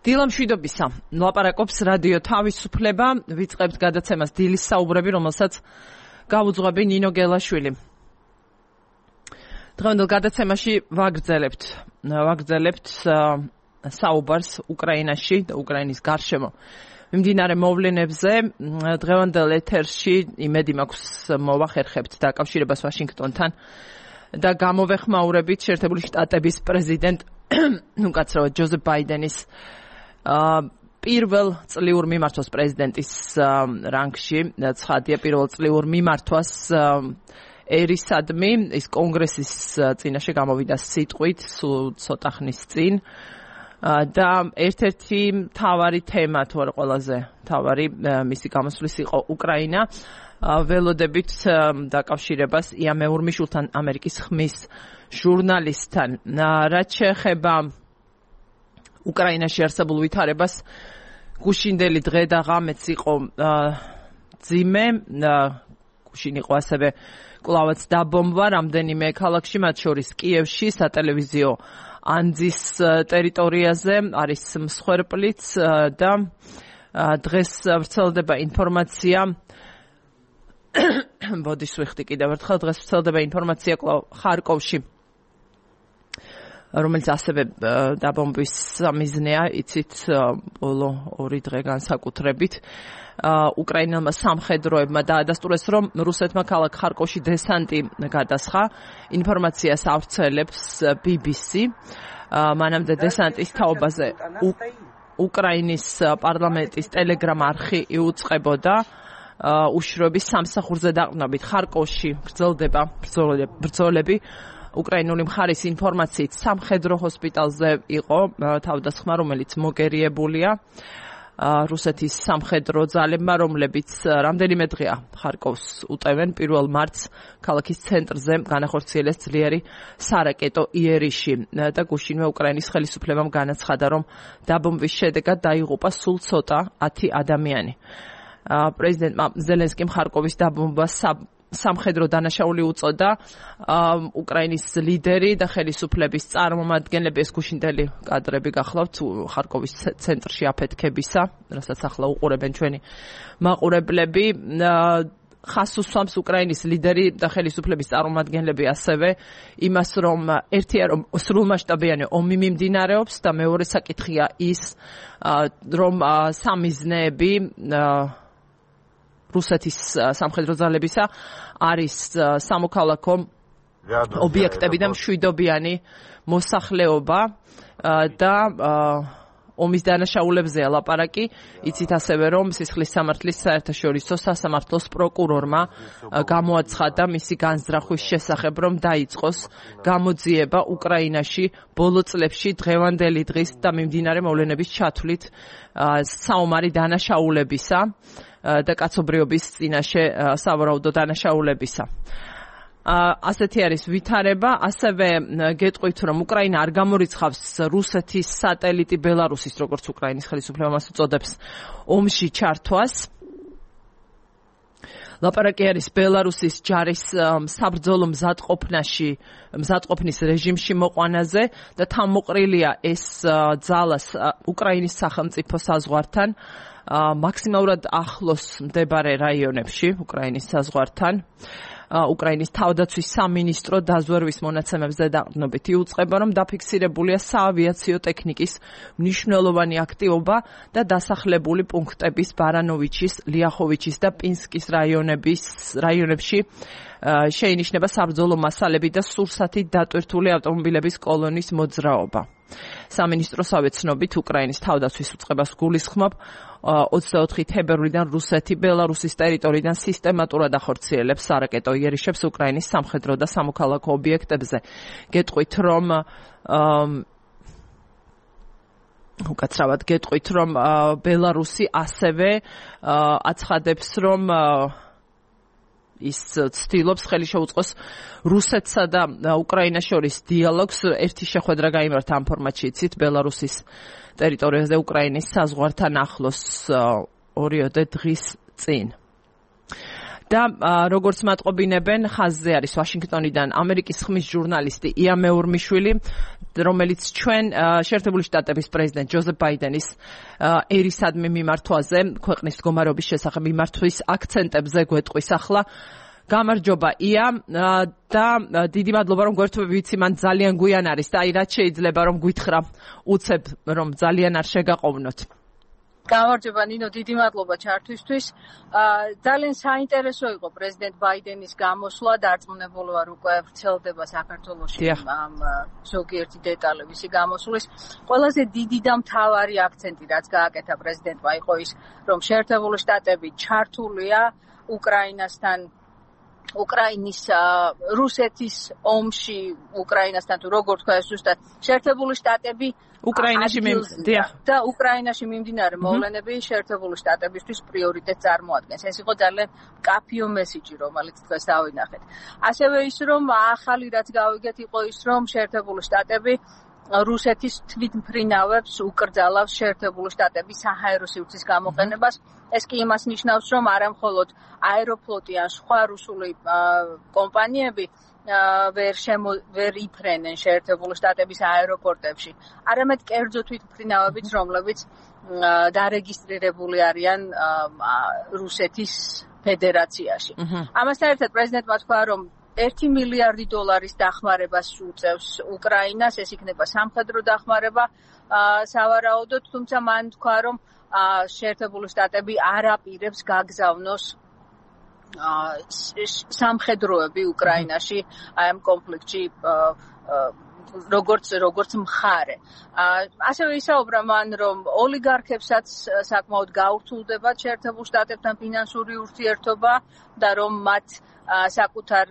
დილამშვიდობისა. ლაპარაკობს რადიო თავისუფლება, ვიწყებთ გადაცემას დილის საუბრები, რომელსაც გაუძღვები ნინო გელაშვილი. დღევანდელ გადაცემაში ვაგრძელებთ საუბარს უკრაინაში და უკრაინის გარშემო მიმდინარე მოვლენებზე. დღევანდელ ეთერში იმედი მაქვს მოვახერხებთ დაკავშირებას ვაშინგტონთან და გამოვეხმაურებით შეერთებული შტატების პრეზიდენტ უკაცრავად ჯოზეფ ბაიდენის პირველ წლიურ მიმართვას პრეზიდენტის რანგში. ცხადია, პირველ წლიურ მიმართვას ერისადმი ის კონგრესის წინაშე გამოვიდა სიტყვით სულ ცოტა ხნის წინ და ერთ-ერთი მთავარი თემა თუ არა ყველაზე მთავარი მისი გამოსვლის იყო უკრაინა. ველოდებით დაკავშირებას ია მეურმიშვილთან, ამერიკის ხმის ჟურნალისტთან. რაც შეეხება უკრაინაში არსებულ ვითარებას, გუშინდელი დღე და ღამეც იყო ძიმე. გუშინ იყო ასევე კვლავაც დაბომბვა რამდენიმე ქალაქში, მათ შორის კიევში, სატელევიზიო ანძის ტერიტორიაზე არის მსხვერპლიც და დღეს ვრცელდება ინფორმაცია ბოდიშ ვიხდი კიდევ ერთხელ, დღეს ვრცელდება ინფორმაცია ხარკოვში, რომელიც ასევე დაბომბვის მიზნეა, იცით, ბოლო 2 დღე განსაკუთრებით. უკრაინელმა სამხედროებმა დაადასტურეს, რომ რუსეთმა ქალაქ ხარკოვში დესანტი გადასხა. ინფორმაციას ავრცელებს BBC. მანამდე დესანტის თაობაზე უკრაინის პარლამენტის ტელეგრამ არხი იუწყებოდა. უშროების სამსახურზე დაყრდნობით ხარკოვში გრძელდება ბრძოლები. უკრაინული მხარის ინფორმაციით სამხედრო ჰოსპიტალზე იყო თავდასხმა, რომელიც მოგერიებულია რუსეთის სამხედრო ძალებმა, რომლებიც რამდენიმე დღეა ხარკოვს უტევენ. 1 მარტს ქალაქის ცენტრზე განახორციელეს ძლიერი სარაკეტო იერიში და გუშინვე უკრაინის ხელისუფლებამ განაცხადა, რომ დაბომბვის შედეგად დაიღუპა სულ ცოტა 10 ადამიანი. პრეზიდენტმა ზელენსკიმ ხარკოვის დაბომბვას სამხედრო დანაშაული უწოდა. უკრაინის ლიდერი და ხელისუფლების წარმომადგენლები, ეს გუშინდელი კადრები გახლავთ ხარკოვის ცენტრში აფეთქებისა, რასაც ახლა უყურებენ ჩვენი მაყურებლები. ხას უსვამს უკრაინის ლიდერი და ხელისუფლების წარმომადგენლები ასევე იმას, რომ ერთია, რომ სრულმასშტაბიანი ომი მიმდინარეობს და მეორე საკითხია ის, რომ სამიზნეები რუსეთის სამხედრო ძალებისა არის სამოქალაქო ობიექტები და მშვიდობიანი მოსახლეობა და ომის დანაშაულებზეა ლაპარაკი. იცით ასევე, რომ სისხლის სამართლის საერთაშორისო სასამართლოს პროკურორმა გამოაცხადა მისი განზრახვის შესახებ, რომ დაიწყოს გამოძიება უკრაინაში ბოლო წლებში დღევანდელი დღის და მიმდინარე მოვლენების ჩათვლით საომარი დანაშაულებისა და კაცობრიობის წინაშე სავარაუდო დანაშაულებისა. ასეთი არის ვითარება. ასევე გეტყვით, რომ უკრაინა არ გამორიცხავს რუსეთის სატელიტი ბელარუსის, როგორც უკრაინის ხელისუფლება მას უწოდებს, ომში ჩართვას. ლაპარაკი არის ბელარუსის ჯარის საბრძოლო მზადყოფნის რეჟიმში მოყვანაზე და თავმოყრილია ეს ძალას უკრაინის სახელმწიფო საზღვართან, მაქსიმალურად ახლოს მდებარე რაიონებში უკრაინის საზღვართან. უკრაინის თავდაცვის სამინისტრო დაზვერვის მონაცემებზე დაყრდნობით იუწყება, რომ დაფიქსირებულია საავიაციო ტექნიკის მნიშვნელოვანი აქტივობა და დასახლებული პუნქტების ბარანოვიჩის, ლიახოვიჩის და პინსკის რაიონებში შეინიშნება საბრძოლო მასალები და სურსათით დატვირთული ავტომობილების კოლონის მოძრაობა. სამინისტროსავე ცნობით, უკრაინის თავდაცვის უწყებას გულისხმობ 24 თებერვლიდან რუსეთი ბელარუსის ტერიტორიიდან სისტემატურად ახორციელებს სარაკეტო იერიშებს უკრაინის სამხედრო და სამოქალაქო ობიექტებზე. გეტყვით, რომ ბელარუსი ასევე აცხადებს, რომ ის ცდილობს ხელი შეუწყოს რუსეთსა და უკრაინას შორის დიალოგს. ერთი შეხვედრა გაიმართა ამ ფორმატში, იცით, ბელარუსის ტერიტორიაზე უკრაინის საზღვართან ახლოს 2 დღის წინ. და როგორც მატყობინებენ, ხაზზე არის ვაშინგტონიდან ამერიკის ხმის ჟურნალისტი ია მეურმიშვილი, რომელიც ჩვენ შეერთებული შტატების პრეზიდენტ ჯოზეფ ბაიდენის ერისადმი მიმართვაზე, ქვეყნის მდგომარეობის შესახებ მიმართვის აქცენტებზე გვეტყვის ახლა. გამარჯობა ია და დიდი მადლობა რომ გვერდთვები, ვიცი მან ძალიან გვიან არის და აი რაც შეიძლება რომ გვითხრა უცებ რომ ძალიან არ შეგაყოვნოთ. გამარჯობა ნინო, დიდი მადლობა ჩართვისთვის. ძალიან საინტერესო იყო პრეზიდენტ ბაიდენის გამოსვლა, დარწმუნებული ვარ უკვე ვრცელდება საქართველოში ამ ზოგიერთი დეტალი მისი გამოსვლის. ყველაზე დიდი და მთავარი აქცენტი რაც გააკეთა პრეზიდენტმა იყო ის, რომ შეერთებული შტატები ჩართულია უკრაინის რუსეთის ომში, უკრაინასთან თუ როგორ თქვა ეს ზუსტად შეერთებული შტატები და უკრაინაში მიმდინარე მოვლენები შეერთებული შტატებისთვის პრიორიტეტს წარმოადგენს. ეს იყო ძალიან მკაფიო მესიჯი, რომელიც დღეს დავინახეთ. ასევე ის, რომ ახალი რაც გავიგეთ, იყო ის, რომ შეერთებული შტატები რუსეთის თვითმფრინავებს უკრძალავს შეერთებული შტატების საჰაერო სივრცის გამოყენებას. ეს კი იმას ნიშნავს, რომ არა მხოლოდ აეროფლოტი ან სხვა რუსული კომპანიები ვერ იფრენენ შეერთებული შტატების აეროპორტებში, არამედ კერძო თვითმფრინავებიც, რომლებიც დარეგისტრირებული არიან რუსეთის ფედერაციაში. ამასთან ერთად პრეზიდენტმა თქვა, რომ $1 მილიარდი დახმარებას უწევს უკრაინას, ეს იქნება სამხედრო დახმარება სავარაუდოდ, თუმცა მან თქვა, რომ შეერთებული შტატები არ აპირებს გაგზავნოს სამხედროები უკრაინაში აი ამ კონფლიქტში როგორც მხარე. ასევე ისაუბრა მან, რომ ოლიგარქებსაც საკმაოდ გაურთულდება შეერთებულ შტატებთან ფინანსური ურთიერთობა და რომ მათ საკუთარ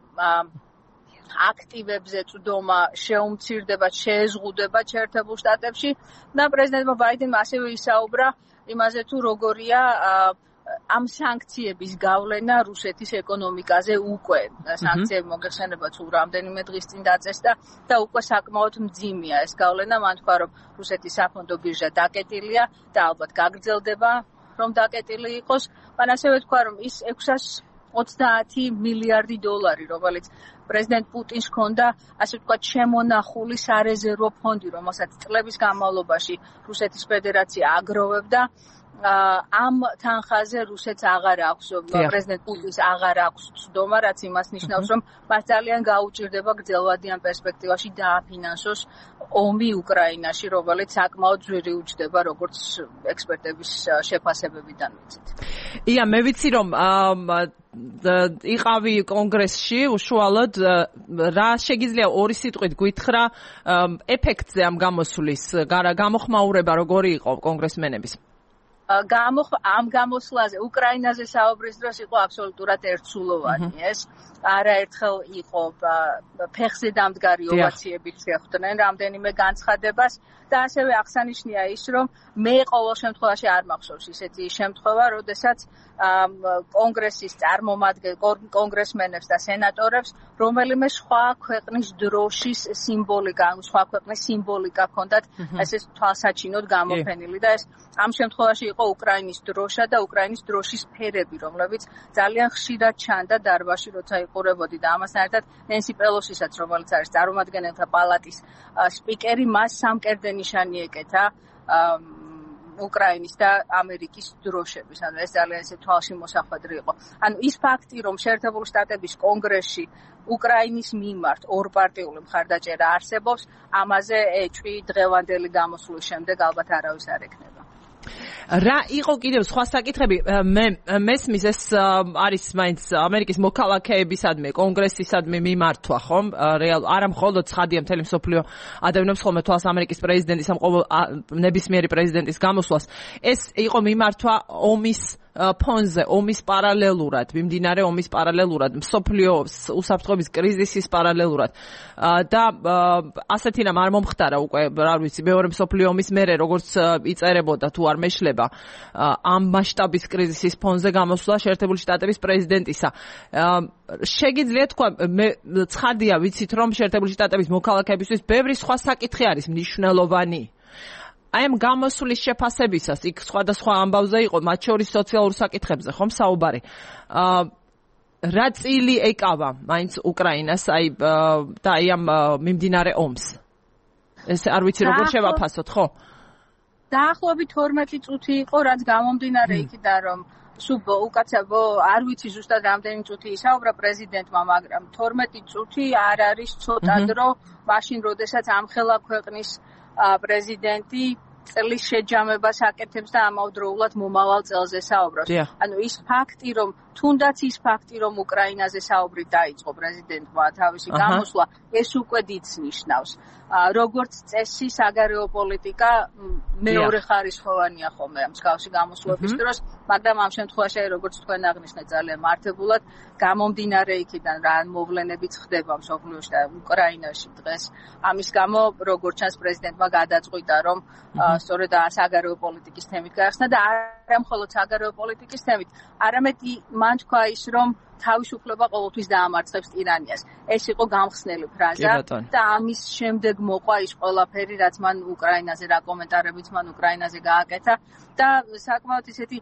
აქტივებზე წვდომა შეუმცირდება, შეეზღუდება შეერთებულ შტატებში და პრეზიდენტმა ბაიდენმა ასევე ისაუბრა იმაზე თუ როგორია ამ სანქციების გავლენა რუსეთის ეკონომიკაზე უკვე. სანქციები მოგეხსენება თუ რამდენიმე დღის წინ დაწესდა და უკვე საკმაოდ მძიმეა ეს გავლენა. მან თქვა, რომ რუსეთის საფონდო ბირჟა დაკეტილია და ალბათ გაგრძელდება რომ დაკეტილი იყოს. მან ასევე თქვა, რომ ის $630 მილიარდი, რომელიც პრეზიდენტ პუტინს ჰქონდა, ასე ვთქვათ, შემონახული სარეზერვო ფონდი, რომელსაც წლების განმავლობაში რუსეთის ფედერაცია აგროვებდა, ამ თანხაზე რუსეთს აღარ აქვს, პრეზიდენტ პუტინს აღარ აქვს ცდომა, რაც იმას ნიშნავს, რომ მას ძალიან გაუჭირდება გრძელვადიან პერსპექტივაში დააფინანსოს ომი უკრაინაში, რომელიც საკმაოდ ძვირი უჯდება, როგორც ექსპერტების შეფასებებიდან ვიცით. ია, მე ვიცი რომ იყავი კონგრესში უშუალოდ, რა შეგიძლია ორი სიტყვით გითხრა ეფექტზე ამ გამოსვლის, გამოხმაურება როგორი იყო კონგრესმენების? ამ გამოსვლაზე უკრაინაზე საუბრის დროს იყო აბსოლუტურად ერთსულოვანი ეს. არაერთხელ იყო ფეხზე დამდგარი ოვაციებით შეხვდნენ რამდენიმე განცხადებას და ასევე აღსანიშნია ის, რომ მე ყოველ შემთხვევაში არ მახსოვს ისეთი შემთხვევა, როდესაც კონგრესის კონგრესმენებს და სენატორებს რომელიმე სხვა ქვეყნის დროშის სიმბოლიკა, სხვა ქვეყნის სიმბოლიკა ჰქონდათ ესე თვალსაჩინოდ გამოფენილი და ეს ამ შემთხვევაში იყო უკრაინის დროშა და უკრაინის დროშის ფერები, რომლებიც ძალიან ხშირად ჩანდა დარბაზში, როცა იყურებოდი და ამასთან ერთად ნენსი პელოსისაც, რომელიც არის წარმომადგენელთა პალატის სპიკერი, მას სამკერდე ნიშანი ეკეთა უკრაინის და ამერიკის დროშების. ანუ ეს ძალიან ესე თვალში მოსახვედრი იყო. ანუ ის ფაქტი, რომ შეერთებული შტატების კონგრესში უკრაინის მიმართ ორპარტიული მხარდაჭერა არსებობს, ამაზე ეჭვი დღევანდელი გამოსვლის შემდეგ ალბათ არავის არ ექნება. რა იყო კიდევ სხვა საკითხები? მე მესმის ეს არის მაინც ამერიკის მოქალაქეებისადმი, კონგრესისადმი მიმართვა, ხომ? არა მხოლოდ ცხადია მთელი მსოფლიო ადევნებს ხოლმე თვალს ამერიკის პრეზიდენტის ამ ნებისმიერი პრეზიდენტის გამოსვლას. ეს იყო მიმართვა ომის ფონზე, ომის პარალელურად, მიმდინარე ომის პარალელურად, მსოფლიო უსაფრთხოების კრიზისის პარალელურად. და ასეთი რამ არ მომხდარა უკვე, რა ვიცი, მეორე მსოფლიო ომის მერე, როგორც იწერებოდა თუ არ მეშლება, ამ მასშტაბის კრიზისის ფონზე გამოსვლა შეერთებული შტატების პრეზიდენტისა. შეგიძლია თქვა, მე ცხადია ვიცით, რომ შეერთებული შტატების მოქალაქეებისთვის ბევრი სხვა საკითხი არის მნიშვნელოვანი. აი ამ გამოსვლის შეფასებისას იქ სხვადასხვა ამბავზე იყო, მათ შორის სოციალურ საკითხებზე, ხომ საუბარი. რა წილი ეკავა მაინც უკრაინას და აი ამ მიმდინარე ომს? ეს არ ვიცი როგორ შევაფასოთ, ხო? დაახლოებით 12 წუთი იყო, რაც გამომდინარე იქიდან, რომ სულ უკაცრავ არ ვიცი ზუსტად რამდენი წუთი ისაუბრა პრეზიდენტმა, მაგრამ 12 წუთი არ არის ცოტა დრო, მაშინ როდესაც ამხელა ქვეყნის პრეზიდენტი წლის შეჯამებას აკეთებს და ამავდროულად მომავალ წელზე საუბრობს. ანუ ის ფაქტი, რომ თუნდაც ის ფაქტი, რომ უკრაინაზე საუბრი დაიწყო პრეზიდენტმა თავისი გამოსვლა, ეს უკვე დიდს ნიშნავს. როგორც წესი, საგარეო პოლიტიკა მეორე ხარისხოვანია ხოლმე მსგავსი გამოსვლების დროს, მაგრამ ამ შემთხვევაში, როგორც თქვენ აღნიშნეთ, ძალიან მართებულად გამომდინარე იქიდან რა მოვლენებიც ხდება მსოფლიოში და უკრაინაში დღეს. ამის გამო, როგორც ჩანს, პრეზიდენტმა გადაწყვიტა, რომ სწორედ საგარეო პოლიტიკის თემით გაიხსნა და არა მხოლოდ საგარეო პოლიტიკის თემით, არამედ მან თქვა ის, რომ თავისუფლება ყოველთვის დაამარცხებს ტირანიას. ეს იყო გამხსნელი ფრაზა და ამის შემდეგ მოყვა ის ყველაფერი, რაც მან უკრაინაზე რა კომენტარებიც მან უკრაინაზე გააკეთა და საკმაოდ ისეთი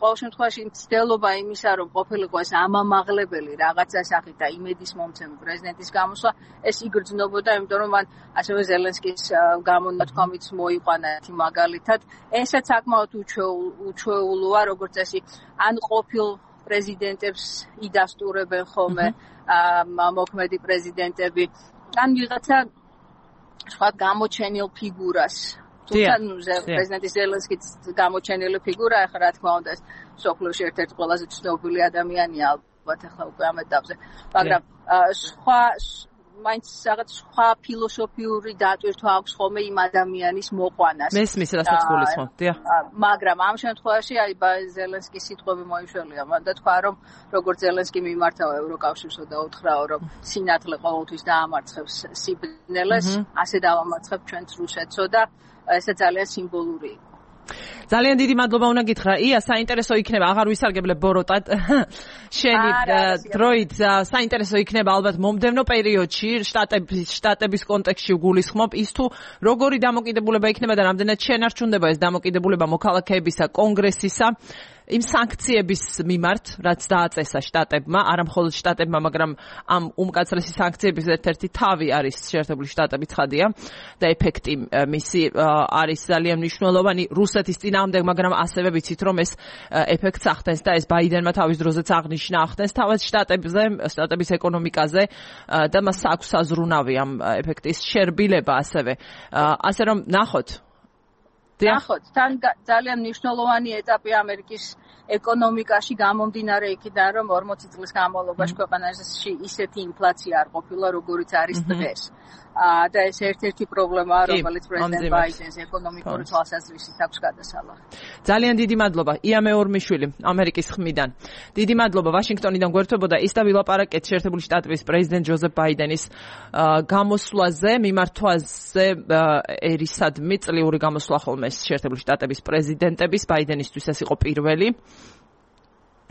ყოველ შემთხვევაში მცდელობა იმისა, რომ ყოფილიყო ეს ამამაღლებელი რაღაცა სახით და იმედის მომცემი პრეზიდენტის გამოსვლა, ეს იგრძნობოდა, იმიტომ რომ მან ასევე ზელენსკის გამონათქვამიც მოიყვანა ერთი მაგალითად. ესაც საკმაოდ უჩვეულოა, როგორც წესი, ან ყოფილ პრეზიდენტებს იდასტურებენ ხოლმე მოქმედი პრეზიდენტები, ან ვიღაცა სხვა გამოჩენილ ფიგურას. თუმცა პრეზიდენტი ზელენსკიც გამოჩენილი ფიგურა, ახლა რა თქმა უნდა, სოფლიოში ერთ-ერთი ყველაზე ცნობილი ადამიანია ალბათ ახლა უკვე ამ ეტაპზე, მაგრამ მაინც რაღაც სხვა ფილოსოფიური დატვირთვა აქვს ხოლმე იმ ადამიანის მოყვანას. მესმის რასაც გულისხმობ, დიახ. მაგრამ ამ შემთხვევაში აი ზელენსკის სიტყვები მოიშველია, მან და თქვა, რომ როგორც ზელენსკი მიმართავ ევროკავშირსო და უთხრაო, რომ სინათლე ყოველთვის დაამარცხებს სიბნელეს, ასე დავამარცხებ ჩვენც რუსეთსო და ეს ძალიან სიმბოლური იყო. ძალიან დიდი მადლობა უნდა გითხრა. ია, საინტერესო იქნება, აღარ ვისარგებლებ ბოროტად. შენი დროით საინტერესო იქნება ალბათ მომდევნო პერიოდში შტატების კონტექსტში გულისხმობ ის თუ როგორი დამოკიდებულება იქნება და რამდენად შენარჩუნდება ეს დამოკიდებულება მოქალაქეებისა კონგრესისა იმ სანქციების მიმართ, რაც დააწესა შტატებმა, არა მხოლოდ შტატებმა, მაგრამ ამ უმკაცრესი სანქციების ერთ-ერთი თავი არის შეერთებული შტატები ცხადია და ეფექტი მისი არის ძალიან მნიშვნელოვანი რუსეთის წინააღმდეგ, მაგრამ ასევე ვიცით, რომ ეს ეფექტს ახდენს და ეს ბაიდენმა თავის დროზეც აღნიშნა ახდენს თავად შტატების ეკონომიკაზე და მას აქვს საზრუნავი ამ ეფექტის შერბილება ასევე. ასე რომ ნახოთ თან ძალიან მნიშვნელოვანი ეტაპი ამერიკის ეკონომიკაში გამომდინარე იქიდან, რომ 40 წლის განმავლობაში ქვეყანაში ისეთი ინფლაცია არ ყოფილა, როგორიც არის დღეს. და ეს ერთ-ერთი პრობლემაა, რომელიც პრეზიდენტ ბაიდენს ეკონომიკური თვალსაზრისით აქვს გადასალახი. ძალიან დიდი მადლობა. ია მეორმიშვილი, ამერიკის ხმიდან. დიდი მადლობა. ვაშინგტონიდან გვერდებოდა ის და ვილაპარაკეთ შეერთებული შტატების პრეზიდენტ ჯოზეფ ბაიდენის გამოსვლაზე, მიმართვაზე ერისადმი წლიური გამოსვლა ხოლმე შეერთებული შტატების პრეზიდენტების, ბაიდენისთვის ეს იყო პირველი.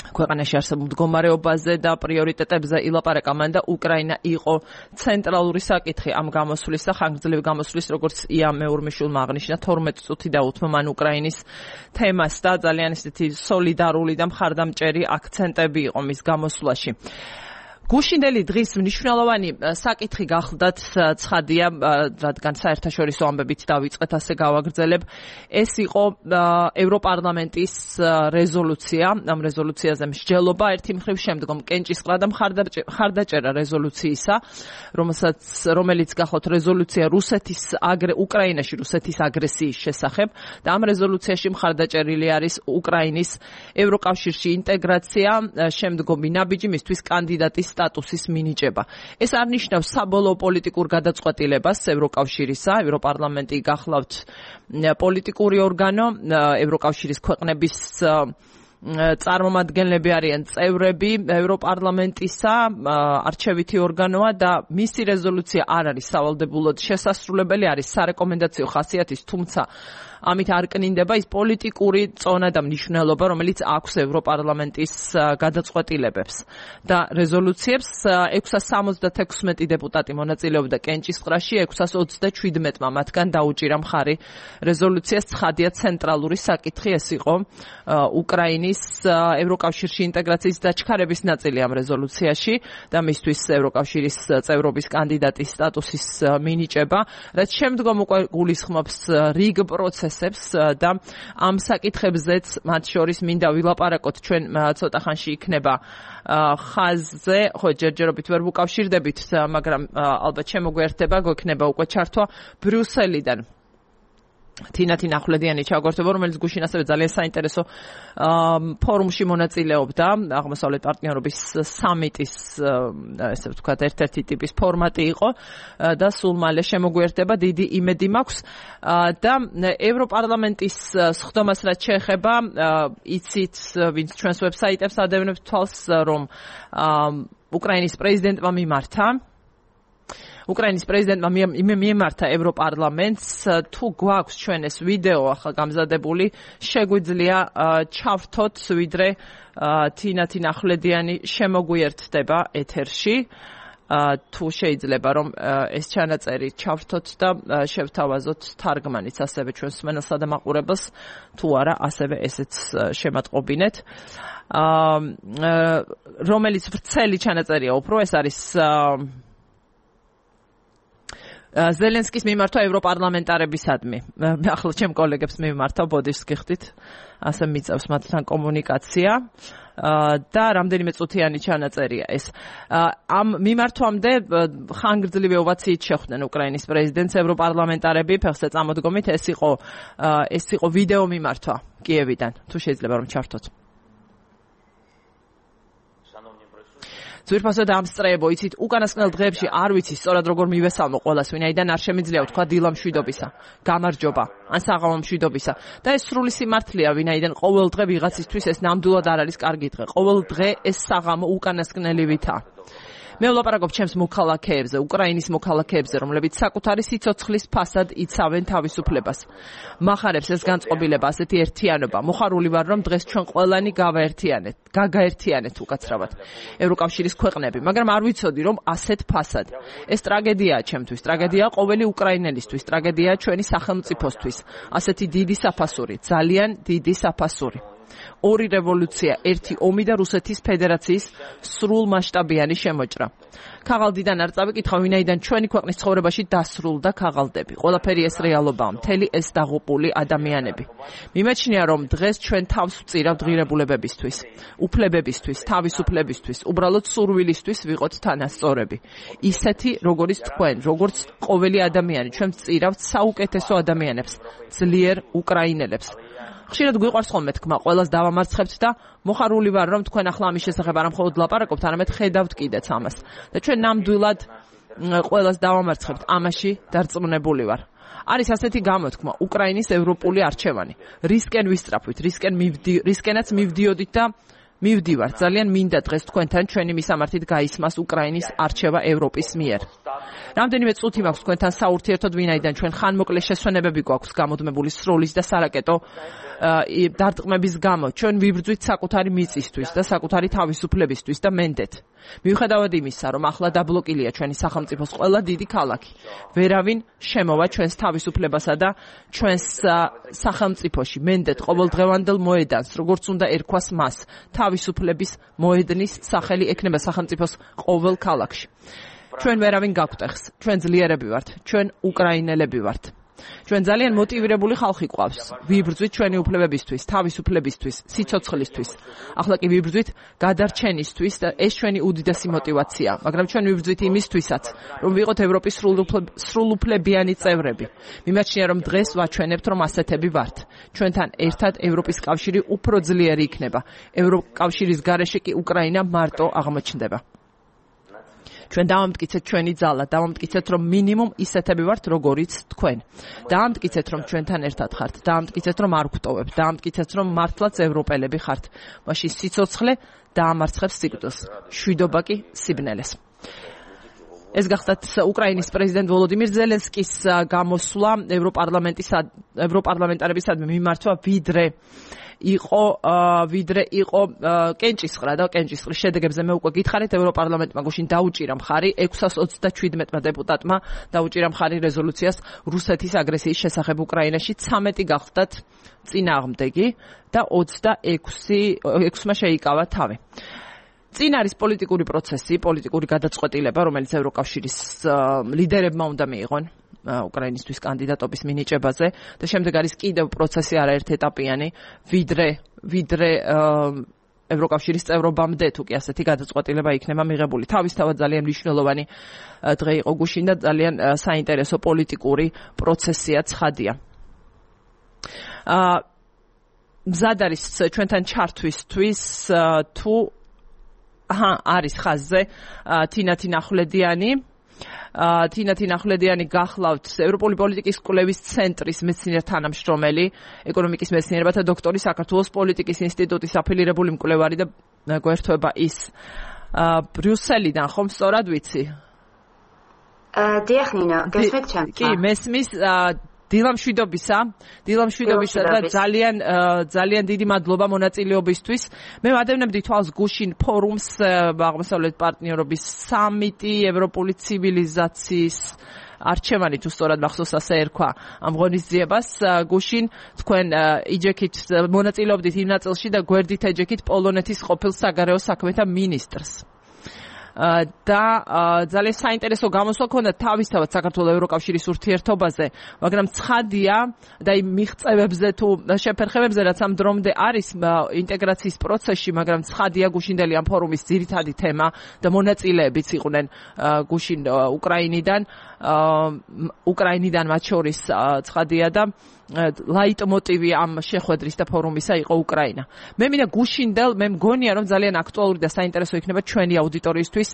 ქვეყანაში არსებულ მდგომარეობაზე და პრიორიტეტებზე ილაპარაკა მან და უკრაინა იყო ცენტრალური საკითხი ამ გამოსვლის და ხანგრძლივი გამოსვლის, როგორც ია მეორმიშვილმა აღნიშნა, 12 წუთი დაუთმო მან უკრაინის თემას და ძალიან ისეთი სოლიდარული და მხარდამჭერი აქცენტები იყო მის გამოსვლაში. გუშინდელი დღის მნიშვნელოვანი საკითხი გახლდათ ცხადია, რადგან საერთაშორისო ამბებით დავიწყეთ, ასე გავაგრძელებ. ეს იყო ევროპარლამენტის რეზოლუცია, ამ რეზოლუციაზე მსჯელობა, ერთი მხრივ შემდგომ კენჭისყრა და მხარდაჭერა რეზოლუციისა, რომელიც გახლავთ რეზოლუცია უკრაინაში რუსეთის აგრესიის შესახებ და ამ რეზოლუციაში მხარდაჭერილი არის უკრაინის ევროკავშირში ინტეგრაცია, შემდგომი ნაბიჯი მისთვის კანდიდატის სტატუსის მინიჭება. ეს არ ნიშნავს საბოლოო პოლიტიკურ გადაწყვეტილებას ევროკავშირისა, ევროპარლამენტი გახლავთ პოლიტიკური ორგანო, ევროკავშირის ქვეყნების წარმომადგენლები არიან წევრები ევროპარლამენტისა, არჩევითი ორგანოა და მისი რეზოლუცია არ არის სავალდებულოდ შესასრულებელი, არის სარეკომენდაციო ხასიათის, თუმცა ამით არ კნინდება ის პოლიტიკური წონა და მნიშვნელობა, რომელიც აქვს ევროპარლამენტის გადაწყვეტილებებს და რეზოლუციებს. 676 დეპუტატი მონაწილეობდა კენჭისყრაში, 627-მა მათგან დაუჭირა მხარი რეზოლუციას. ცხადია ცენტრალური საკითხი ეს იყო უკრაინის ევროკავშირში ინტეგრაციის დაჩქარების ნაწილი ამ რეზოლუციაში და მისთვის ევროკავშირის წევრობის კანდიდატის სტატუსის მინიჭება, რაც შემდგომ უკვე გულისხმობს რიგ პროცესებს და ამ საკითხებზეც მათ შორის მინდა ვილაპარაკოთ. ჩვენ ცოტა ხანში იქნება ხაზზე, ხო ჯერჯერობით ვერ ვუკავშირდებით, მაგრამ ალბათ შემოგვიერთდება, გვექნება უკვე ჩართვა ბრიუსელიდან. თინათინ ახვლედიანი ჩაგორთება, რომელიც გუშინ ასევე ძალიან საინტერესო ფორუმში მონაწილეობდა, აღმოსავლეთ პარტნიორობის სამიტის, ესე ვთქვათ, ერთ-ერთი ტიპის ფორმატი იყო და სულ მალე შემოგვიერთდება, დიდი იმედი მაქვს და ევროპარლამენტის სხდომას რაც შეეხება, იცით, ვინც ჩვენს ვებსაიტებს ადევნებთ თვალს, რომ უკრაინის პრეზიდენტმა მიმართა უკრაინის პრეზიდენტმა მიემართა ევროპარლამენტს. თუ გვაქვს ჩვენ ეს ვიდეო ახლა გამზადებული, შეგვიძლია ჩავრთოთ, ვიდრე თინათინ ახვლედიანი შემოგვიერთდება ეთერში. თუ შეიძლება რომ ეს ჩანაწერი ჩავრთოთ და შევთავაზოთ თარგმანიც ასევე ჩვენს მსმენელსა და მაყურებელს, თუ არა ასევე ესეც შემატყობინეთ. რომელიც ვრცელი ჩანაწერია უფრო, ეს არის ზელენსკის მიმართვა ევროპარლამენტარებისადმი. ახლა ჩემ კოლეგებს მიმართა ბოდიშს გიხდით, ასე მიწევს მათთან კომუნიკაცია და რამდენიმე წუთიანი ჩანაწერია ეს. ამ მიმართვამდე ხანგრძლივი ოვაციით შეხვდნენ უკრაინის პრეზიდენტს ევროპარლამენტარები, ფეხზე წამოდგომით. ეს იყო ვიდეო მიმართვა კიევიდან. თუ შეიძლება რომ ჩართოთ. ძვირფასო დაამსწრეებო, იცით, უკანასკნელ დღეებში არ ვიცი სწორად როგორ მივესალმო ყველას, ვინაიდან არ შემიძლია ვთქვა დილა მშვიდობისა, გამარჯობა, ან საღამო მშვიდობისა. და ეს სრული სიმართლეა, ვინაიდან ყოველ დღე ვიღაცისთვის ეს ნამდვილად არ არის კარგი დღე. ყოველ დღე ეს საღამო უკანასკნელი ვითა. მე ვლაპარაკობ ჩემს მოქალაქეებზე, უკრაინის მოქალაქეებზე, რომლებიც საკუთარი სიცოცხლის ფასად იცავენ თავისუფლებას. მახარებს ეს განწყობილება, ასეთი ერთიანობა. მოხარული ვარ, რომ დღეს ჩვენ ყველანი გაგაერთიანეთ უკაცრავად ევროკავშირის ქვეყნები, მაგრამ არ ვიცოდი, რომ ასეთ ფასად. ეს ტრაგედიაა ჩემთვის, ტრაგედიაა ყოველი უკრაინელისთვის, ტრაგედიაა ჩვენი სახელმწიფოსთვის. ასეთი დიდი საფასური, ძალიან დიდი საფასური. ორი რევოლუცია, ერთი ომი და რუსეთის ფედერაციის სრულმასშტაბიანი შემოჭრა. ქაღალდიდან არ წავიკითხავ, ვინაიდან ჩვენი ქვეყნის ცხოვრებაში დასრულდა ქაღალდები. ყველაფერი ეს რეალობაა, მთელი ეს დაღუპული ადამიანები. მიმაჩნია, რომ დღეს ჩვენ თავს ვწირავთ ღირებულებებისთვის, უფლებებისთვის, თავისუფლებისთვის, უბრალოდ სურვილისთვის ვიყოთ თანასწორები. ისეთი, როგორიც თქვენ, როგორც ყოველი ადამიანი, ჩვენ ვწირავთ საუკეთესო ადამიანებს, ძლიერ უკრაინელებს. ხშირად გვიყვარს ხოლმე თქმა, ყველას დავამარცხებთ და მოხარული ვარ, რომ თქვენ ახლა ამის შესახებ არ მხოლოდ ლაპარაკობთ, არამედ ხედავთ კიდეც ამას. და ჩვენ ნამდვილად ყველას დავამარცხებთ, ამაში დარწმუნებული ვარ. არის ასეთი გამოთქმა, უკრაინის ევროპული არჩევანი. რისკენ ვისწრაფვით, რისკენაც მივდიოდით და მივდივარ. ძალიან მინდა დღეს თქვენთან ჩვენი მისამართით გაისმას უკრაინის არჩევა ევროპის მიერ. რამდენიმე წუთი მაქვს თქვენთან საურთიერთოდ, ვინაიდან ჩვენ ხანმოკლე შესვენებები გვაქვს გამოდმებული სროლის და სარაკეტო დარტყმების გამო. ჩვენ ვიბრძვით საკუთარი მიწისთვის და საკუთარი თავისუფლებისთვის და მენდეთ. მიუხედავად იმისა, რომ ახლა დაბლოკილია ჩვენი სახელმწიფოს ყველა დიდი ქალაქი, ვერავინ შემოვა ჩვენს თავისუფლებასა და ჩვენს სახელმწიფოში. მენდეთ ყოველდღევანდელ მოედანს, როგორც უნდა ერქვას მას, თავისუფლების მოედნის სახელი ექნება სახელმწიფოს ყოველ ქალაქში. ჩვენ ვერავინ გაგვტეხს, ჩვენ ძლიერები ვართ, ჩვენ უკრაინელები ვართ. ჩვენ ძალიან მოტივირებული ხალხი გვყავს. ვიბრძვით ჩვენი უფლებებისთვის, თავისუფლებისთვის, სიცოცხლისთვის. ახლა კი ვიბრძვით გადარჩენისთვის და ეს ჩვენი უდიდესი мотиваცია. მაგრამ ჩვენ ვიბრძვით იმისთვისაც, რომ ვიყოთ ევროპის სრულუფლებიანი წევრები. მიმაჩნია, რომ დღეს ვაჩვენებთ, რომ ასეთები ვართ. ჩვენთან ერთად ევროპის კავშირი უფრო ძლიერი იქნება. ევროკავშირის გარეშე კი უკრაინა მარტო აღმოჩნდება. ჩვენ დავამტკიცეთ ჩვენი ძალა, დავამტკიცეთ, რომ მინიმუმ ისეთები ვართ, როგორიც თქვენ. დავამტკიცეთ, რომ ჩვენთან ერთად ხართ, დავამტკიცეთ, რომ არ გვტოვებთ, დავამტკიცეთ, რომ მართლაც ევროპელები ხართ. მაშინ სიცოცხლე დაამარცხებს სიკვდილს, შვიდობა კი სიბნელეს. ეს გახდათ უკრაინის პრეზიდენტ ვოლოდიმირ ზელენსკის გამოსვლა ევროპარლამენტარებისადმი მიმართვა ვიდრე იყო კენჭისყრა და კენჭისყრის შედეგებზე მე უკვე გითხარით ევროპარლამენტმა გუშინ დაუჭირა მხარი 627 დეპუტატმა დაუჭირა მხარი რეზოლუციას რუსეთის აგრესიის შესახებ უკრაინაში 13 გახდათ წინააღმდეგი და 26-მა შეიკავა თავი. წინ არის პოლიტიკური პროცესი, პოლიტიკური გადაწყვეტილება, რომელიც ევროკავშირის ლიდერებმა უნდა მიიღონ უკრაინისთვის კანდიდატობის მინიჭებაზე და შემდეგ არის კიდევ პროცესი არაერთეტაპიანი, ვიდრე ევროკავშირის წევრობამდე თუ კი ასეთი გადაწყვეტილება იქნება მიღებული. თავისთავად ძალიან მნიშვნელოვანი დღე იყო გუშინ და ძალიან საინტერესო პოლიტიკური პროცესია ცხადია. მზად არის ჩვენთან ჩართვისთვის თუ არის ხაზზე თინათი ნახვლედიანი გახლავთ ევროპული პოლიტიკის კვლევის ცენტრის მეცნიერ თანამშრომელი, ეკონომიკის მეცნიერებათა დოქტორი, საქართველოს პოლიტიკის ინსტიტუტის აფილირებული მკვლევარი და გვერდება ის ბრიუსელიდან, ხომ სწორად ვიცი? დიახ, ნინო, გესმით ჩემს? კი, მესმის დილამშვიდობისა და ძალიან დიდი მადლობა მონაწილეობისთვის. მე ვადევნებდი თვალს გუშინ ფორუმს აღმოსავლეთ პარტნიორობის სამიტი ევროპული ცივილიზაციის არჩევანი თუ სწორად მახსოვს ასე ერქვა ამ ღონისძიებას გუშინ თქვენ იჯექით მონაწილეობდით იმ ნაწილში და გვერდით ეჯექით პოლონეთის ყოფილ საგარეო საქმეთა მინისტრს. და ძალიან საინტერესო გამოსვლა ქონდა თავისთავად საქართველოს ევროკავშირის ურთიერთობაზე, მაგრამ ცხადია და იმ მიღწევებზე თუ შეფერხებებზე, რაც ამ დრომდე არის ინტეგრაციის პროცესში, მაგრამ ცხადია გუშინდელი ამ ფორუმის ძირითადი თემა და მონაწილეებიც იყვნენ გუშინ უკრაინიდან მათ შორის ცხადია და ლაიტმოტივი ამ შეხვედრის და ფორუმისა იყო უკრაინა. მე მინდა გუშინდელ მე მგონია რომ ძალიან აქტუალური და საინტერესო იქნება ჩვენი აუდიტორიისთვის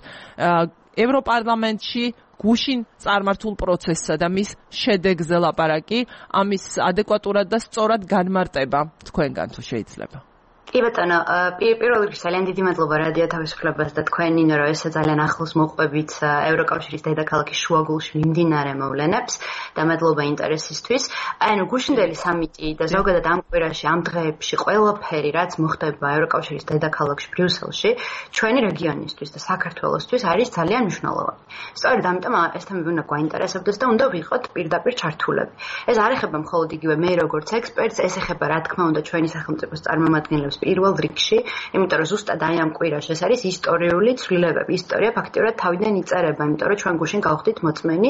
ევროპარლამენტში გუშინ წარმართულ პროცესსა და მის შედეგზე ლაპარაკი, ამის ადეკვატურად და სწორად განმარტება თქვენგან თუ შეიძლება. კი ბატონო, პირველ რიგში ძალიან დიდი მადლობა რადიო თავისუფლებას და თქვენ ნინო, რომ ესე ძალიან ახლოს მოყვებით ევროკავშირის დედაქალაქის შუაგულში მიმდინარე მოვლენებს და მადლობა ინტერესისთვის. ანუ გუშინდელი სამიტი და ზოგადად ამ კვირაში, ამ დღეებში ყველაფერი, რაც მოხდება ევროკავშირის დედაქალაქში ბრიუსელში, ჩვენი რეგიონისთვის და საქართველოსთვის არის ძალიან მნიშვნელოვანი. სწორედ ამიტომ ეს თემები უნდა გვაინტერესებდეს და უნდა ვიყოთ პირდაპირ ჩართულები. ეს არ ეხება მხოლოდ იგივე მე როგორც ექსპერტს, ეს ეხება რა თქმა უნდა ჩვენი სახელმწიფოს წარმომადგენლებს პირველ რიგში, იმიტომ რომ ზუსტად აი ამ კვირაში ეს არის ისტორიული ცვლილებები. ისტორია ფაქტიურად თავიდან იწერება, იმიტომ რომ ჩვენ გუშინ გავხდით მოწმენი,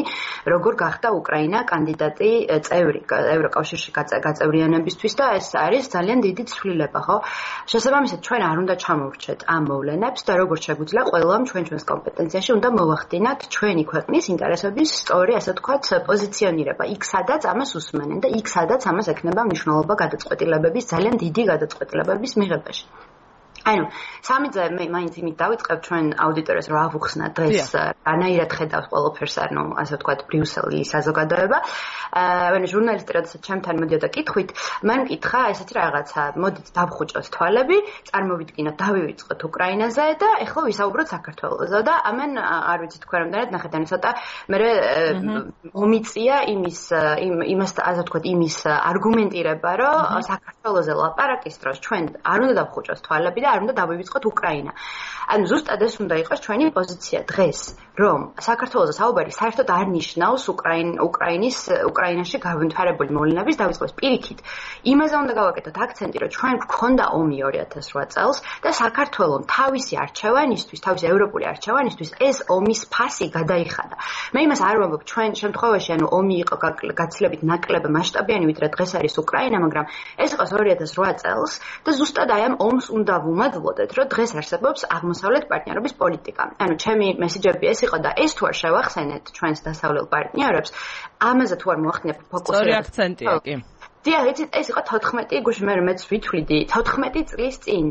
როგორ გახდა უკრაინა კანდიდატი წევრი ევროკავშირში გაწევრიანებისთვის და ეს არის ძალიან დიდი ცვლილება, ხო? შესაბამისად, ჩვენ არ უნდა ჩამოვრჩეთ ამ მოვლენებს და როგორც შეგვიძლია ყველამ ჩვენს კომპეტენციაში უნდა მოვახდინოთ ჩვენი ქვეყნის ინტერესების სწორი, ასე ვთქვათ, პოზიციონირება. იქ სადაც ამას უსმენენ და იქ სადაც ამას ექნება მნიშვნელობა გადაწყვეტილებების, ძალიან დიდი გადაწყვეტილებების მიღებაში. ანუ სამიძე მე მაინც იმით დავიწყებ ჩვენ აუდიტორიას რომ ავუხსნა დღეს რანაირად ხედავს ყველაფერს, ანუ ასე ვთქვათ ბრიუსელის საზოგადოება. ანუ ჟურნალისტი როდესაც ჩემთან მოდიოდა კითხვით, მან მკითხა ესეთი რაღაცა, მოდით დავხუჭოთ თვალები, წარმოვიდგინოთ, დავივიწყოთ უკრაინაზე და ეხლა ვისაუბროთ საქართველოზე და ამან არ ვიცი თქვენ რამდენად ნახეთ, ანუ ცოტა მე მომიწია იმას ასე ვთქვათ იმის არგუმენტირება, რომ საქართველოზე ლაპარაკის დროს ჩვენ არ უნდა დავხუჭოთ თვალები და არ უნდა დავივიწყოთ უკრაინა. ანუ ზუსტად ეს უნდა იყოს ჩვენი პოზიცია დღეს, რომ საქართველოს საუბარი საერთოდ არ ნიშნავს უკრაინაში განვითარებული მოვლენების დავიწყოს. პირიქით, იმაზე უნდა გავაკეთოთ აქცენტი, რომ ჩვენ გვქონდა ომი 2008 წელს და საქართველოს თავისი არჩევანისთვის, თავისი ევროპული არჩევანისთვის ეს ომის ფასი გადაიხადა. მე იმას არ ვამბობ, ჩვენ შემთხვევაში ანუ ომი იყო გაცილებით ნაკლებ მასშტაბიანი, ვიდრე დღეს არის უკრაინა, მაგრამ ეს იყო 2008 წელს და ზუსტად აი ამ ომს უნდა ვუმადლოდეთ, რომ დღეს არსებობს აღმოსავლეთ პარტნიორობის პოლიტიკა. ანუ ჩემი მესიჯები ეს იყო და ეს თუ არ შევახსენეთ ჩვენს დასავლელ პარტნიორებს, ამაზე თუ არ მოახდინებთ ფოკუსი. სწორი აქცენტია, კი. დიახ, ეს იყო 14 გუშინ მეც ვითვლიდი 14 წლის წინ.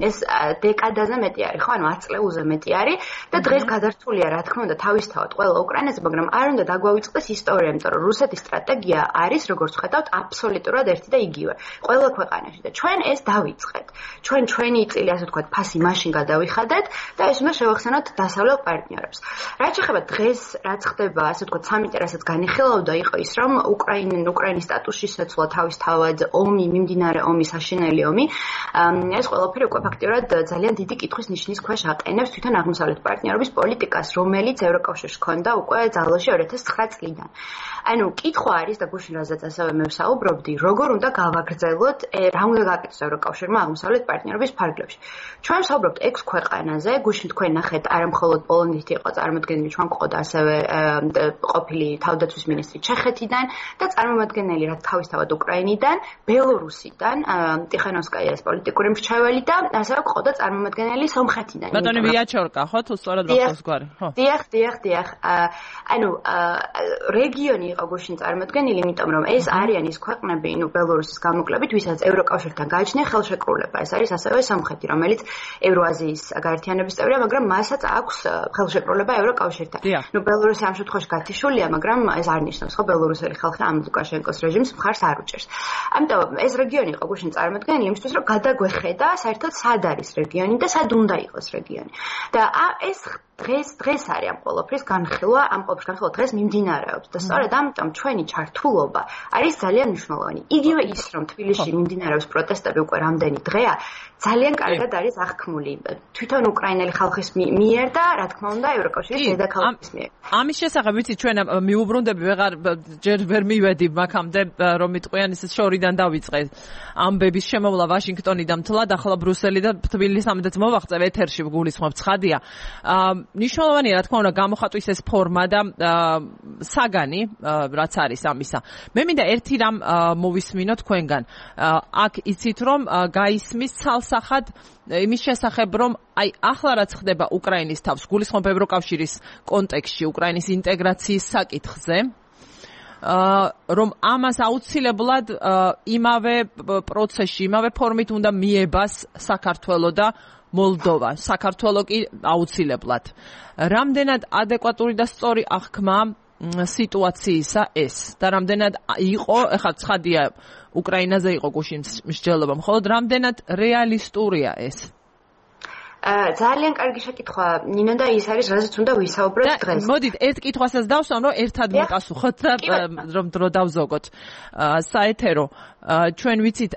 ეს დეკადაზე მეტი არის, ხო, ანუ 10 წლეულზე მეტი არის და დღეს გადართულია, რა თქმა უნდა, თავისთავად ყველა უკრაინაზე, მაგრამ არ უნდა დაგვავიწყდეს ისტორია, იმიტომ რომ რუსეთის სტრატეგია არის, როგორც ხედავთ, აბსოლუტურად ერთი და იგივე. ყველა ქვეყანაში და ჩვენ ეს დავიწყეთ. ჩვენი წილი, ასე ვთქვათ, ფასი მაშინ გადავიხადეთ და ეს უნდა შევახსენოთ დასავლელ პარტნიორებს. რაც შეეხება დღეს, რაც ხდება, ასე ვთქვათ, სამიტი, რასაც განიხილავდა, იყო ის, რომ უკრაინის სტატუსში შეცვლა თავისთავად ომი, მიმდინარე ომი, საშინელი ომი. ეს ყველაფერი უკვე ფაქტიურად ძალიან დიდი კითხვის ნიშნის ქვეშ აყენებს თვითონ აღმოსავლეთ პარტნიორობის პოლიტიკას, რომელიც ევროკავშირს ჰქონდა უკვე ძალოში 2009 წლიდან. ანუ კითხვა არის და გუშინ რაზეც ასევე მე ვსაუბრობდი, როგორ უნდა გავაგრძელოთ, რა უნდა გააკეთოს ევროკავშირმა აღმოსავლეთ პარტნიორობის ფარგლებში. ჩვენ ვსაუბრობთ 6 ქვეყანაზე, გუშინ თქვენ ნახეთ, არა მხოლოდ პოლონეთი იყო წარმოადგენელი, ჩვენ გვყოდა ასევე ყოფილი თავდაცვის მინისტრი ჩეხეთიდან და წარმომადგენელი რა თავისთავად უკრაინიდან, ბელორუსიდან, ტიხანოვსკაიას პოლიტიკური მრჩეველი და ასევე ყოდა წარმომადგენელი სომხეთიდან. ბატონი ვიაჩორკა, ხო, თუ სწორად ვახსოვს გვარი, ხო? დიახ. ანუ რეგიონი იყო გუშინ წარმოდგენილი, იმიტომ რომ ეს არიან ის ქვეყნები, ბელორუსის გამოკლებით, ვისაც ევროკავშირთან გააჩნია ხელშეკრულება. ეს არის ასევე სომხეთი, რომელიც ევროაზიის გაერთიანების წევრია, მაგრამ მასაც აქვს ხელშეკრულება ევროკავშირთან. ბელორუსი ამ შემთხვევაში გათიშულია, მაგრამ ეს არ ნიშნავს, ხო, ბელორუსელი ხალხი ამ ლუკაშენკოს რეჟიმს მხარს არ უჭერს. ამიტომ ეს რეგიონი იყო გუშინ წარმოდგენილი იმისთვის, რომ გადაგვეხედა საერთოდ სად არის რეგიონი და სად უნდა იყოს რეგიონი. და ეს დღეს არის ამ ყველაფრის განხილვა, დღეს მიმდინარეობს და სწორედ ამიტომ ჩვენი ჩართულობა არის ძალიან მნიშვნელოვანი. იგივე ის, რომ თბილისში მიმდინარეობს პროტესტები უკვე რამდენი დღეა, ძალიან კარგად არის აღქმული თვითონ უკრაინელი ხალხის მიერ და რა თქმა უნდა ევროკავშირის დედაქალაქის მიერ. ამის შესახებ ვიცი ჩვენ მიუბრუნდები ჯერ ვერ მივედი მაგამდე რომ მიტყვიან ის შორიდან დავიწყე ამბების შემოვლა ვაშინგტონიდან მთლად ახლა ბრუსელი და თბილისი ამდეც მოვაღწევ ეთერში გულისხმობ ცხადია. მნიშვნელოვანია რა თქმა უნდა გამოხატვის ეს ფორმა და საგანი რაც არის ამისა. მე მინდა ერთი რამ მოვისმინო თქვენგან. აქ იცით რომ გაისმის ცალსახად იმის შესახებ რომ აი ახლა რაც ხდება უკრაინის თავს გულისხმობ ევროკავშირის კონტექსტში უკრაინის ინტეგრაციის საკითხზე რომ ამას აუცილებლად იმავე პროცესში იმავე ფორმით უნდა მიებას საქართველო და მოლდოვა. საქართველო კი აუცილებლად. რამდენად ადეკვატური და სწორი აღქმა სიტუაციისა ეს და რამდენად იყო, ეხლა ცხადია უკრაინაზე იყო გუშინ მსჯელობა, მხოლოდ რამდენად რეალისტურია ეს? ძალიან კარგი შეკითხვა, ნინო და ის არის, რაზეც უნდა ვისაუბროთ დღეს. მოდით, ერთ კითხვასაც დავსვამ, რომ ერთად მიპასუხოთ და რომ დრო დავზოგოთ საეთერო. ჩვენ ვიცით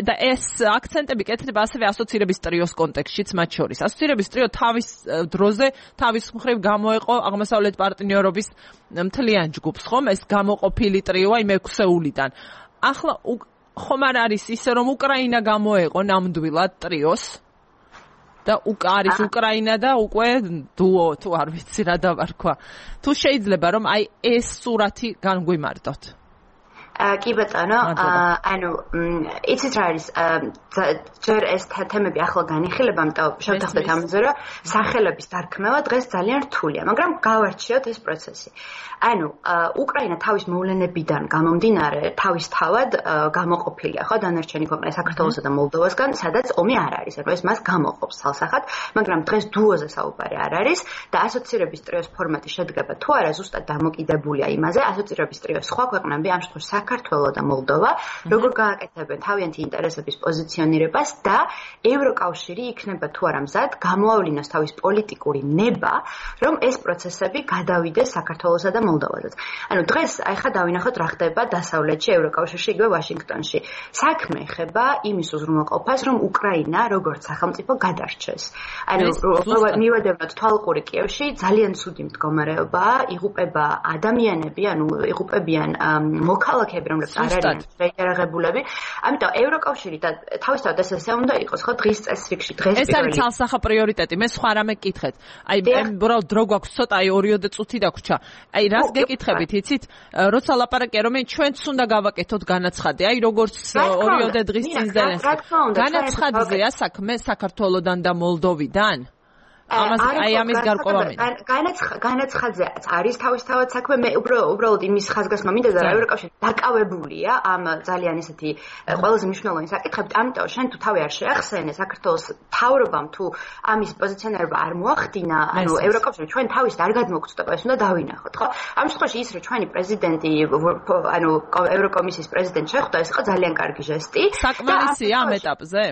და ეს აქცენტები კეთდება ასევე ასოცირების ტრიოს კონტექსტშიც მათ შორის. ასოცირების ტრიო თავის დროზე თავის მხრივ გამოეყო აღმოსავლეთ პარტნიორობის მთლიან ჯგუფს, ხომ? ეს გამოყოფილი ტრიოა იმ 6-ეულიდან. ახლა ხომ არ არის ისე, რომ უკრაინა გამოეყო ნამდვილად ტრიოს? და არის უკრაინა და უკვე დუო თუ არ ვიცი რა დავარქვა. თუ შეიძლება რომ აი ეს სურათი განგვიმარტოთ. კი ბატონო, ანუ იცით რა არის, ჯერ ეს თემები ახლა განიხილება, ამიტომ შევთანხმდეთ ამაზე, რომ სახელების დარქმევა დღეს ძალიან რთულია, მაგრამ გავარჩიოთ ეს პროცესი. ანუ უკრაინა თავის მოვლენებიდან გამომდინარე თავისთავად გამოყოფილია, ხო, დანარჩენი ქვეყნები საქართველოსა და მოლდოვასგან, სადაც ომი არ არის. ანუ ეს მას გამოყოფს ცალსახად, მაგრამ დღეს დუოზე საუბარი არ არის და ასოცირების ტრიოს ფორმატი შედგება თუ არა ზუსტად დამოკიდებულია იმაზე, ასოცირების ტრიოს სხვა ქვეყნები, ამ შემთხვევაში საქართველო და მოლდოვა, როგორ გააკეთებენ თავიანთი ინტერესების პოზიციონირებას და ევროკავშირი იქნება თუ არა მზად გამოავლინოს თავის პოლიტიკური ნება, რომ ეს პროცესები გადავიდეს საქართველოსა და მოლდოვაზეც. ანუ დღეს ახლა დავინახოთ რა ხდება დასავლეთში, ევროკავშირში, იგივე ვაშინგტონში. საქმე ეხება იმის უზრუნველყოფას, რომ უკრაინა როგორც სახელმწიფო გადარჩეს. ანუ მივედევნოთ თვალყური კიევში ძალიან ცუდი მდგომარეობაა, იღუპება ადამიანები, ანუ იღუპებიან მოქალაქეები, რომლებიც არ არიან შეიარაღებულები. ამიტომ ევროკავშირი და თავისთავად ესე უნდა იყოს, ხო, დღის წესრიგში, დღეს ეს არის ცალსახა პრიორიტეტი. მე სხვა რამე გკითხეთ. აი, უბრალოდ დრო გვაქვს ცოტა, აი 2 წუთი დაგვრჩა. აი, რას გეკითხებით, იცით? როცა ლაპარაკია, რომ ჩვენც უნდა გავაკეთოთ განაცხადი, აი როგორც 2 დღის წინ ზელენსკი. განაცხადზეა საქმე საქართველოდან და მოლდოვიდან? ამის გარკვევა მინდა. განაცხადზეაც არის თავისთავად საქმე, მე უბრალოდ იმის ხაზგასმა მინდა და ევროკავშირი დაკავებულია ამ ძალიან ისეთი ყველაზე მნიშვნელოვანი საკითხებით, ამიტომ შენ თუ თავი არ შეახსენე საქართველოს მთავრობამ თუ ამის პოზიციონირება არ მოახდინა, ანუ ევროკავშირი ჩვენ თავის არ გადმოგწდება, ეს უნდა დავინახოთ, ხო? ამ შემთხვევაში ის რომ ჩვენი პრეზიდენტი, ანუ ევროკომისიის პრეზიდენტი შეხვდა, ეს იყო ძალიან კარგი ჟესტი. საკმარისია ამ ეტაპზე?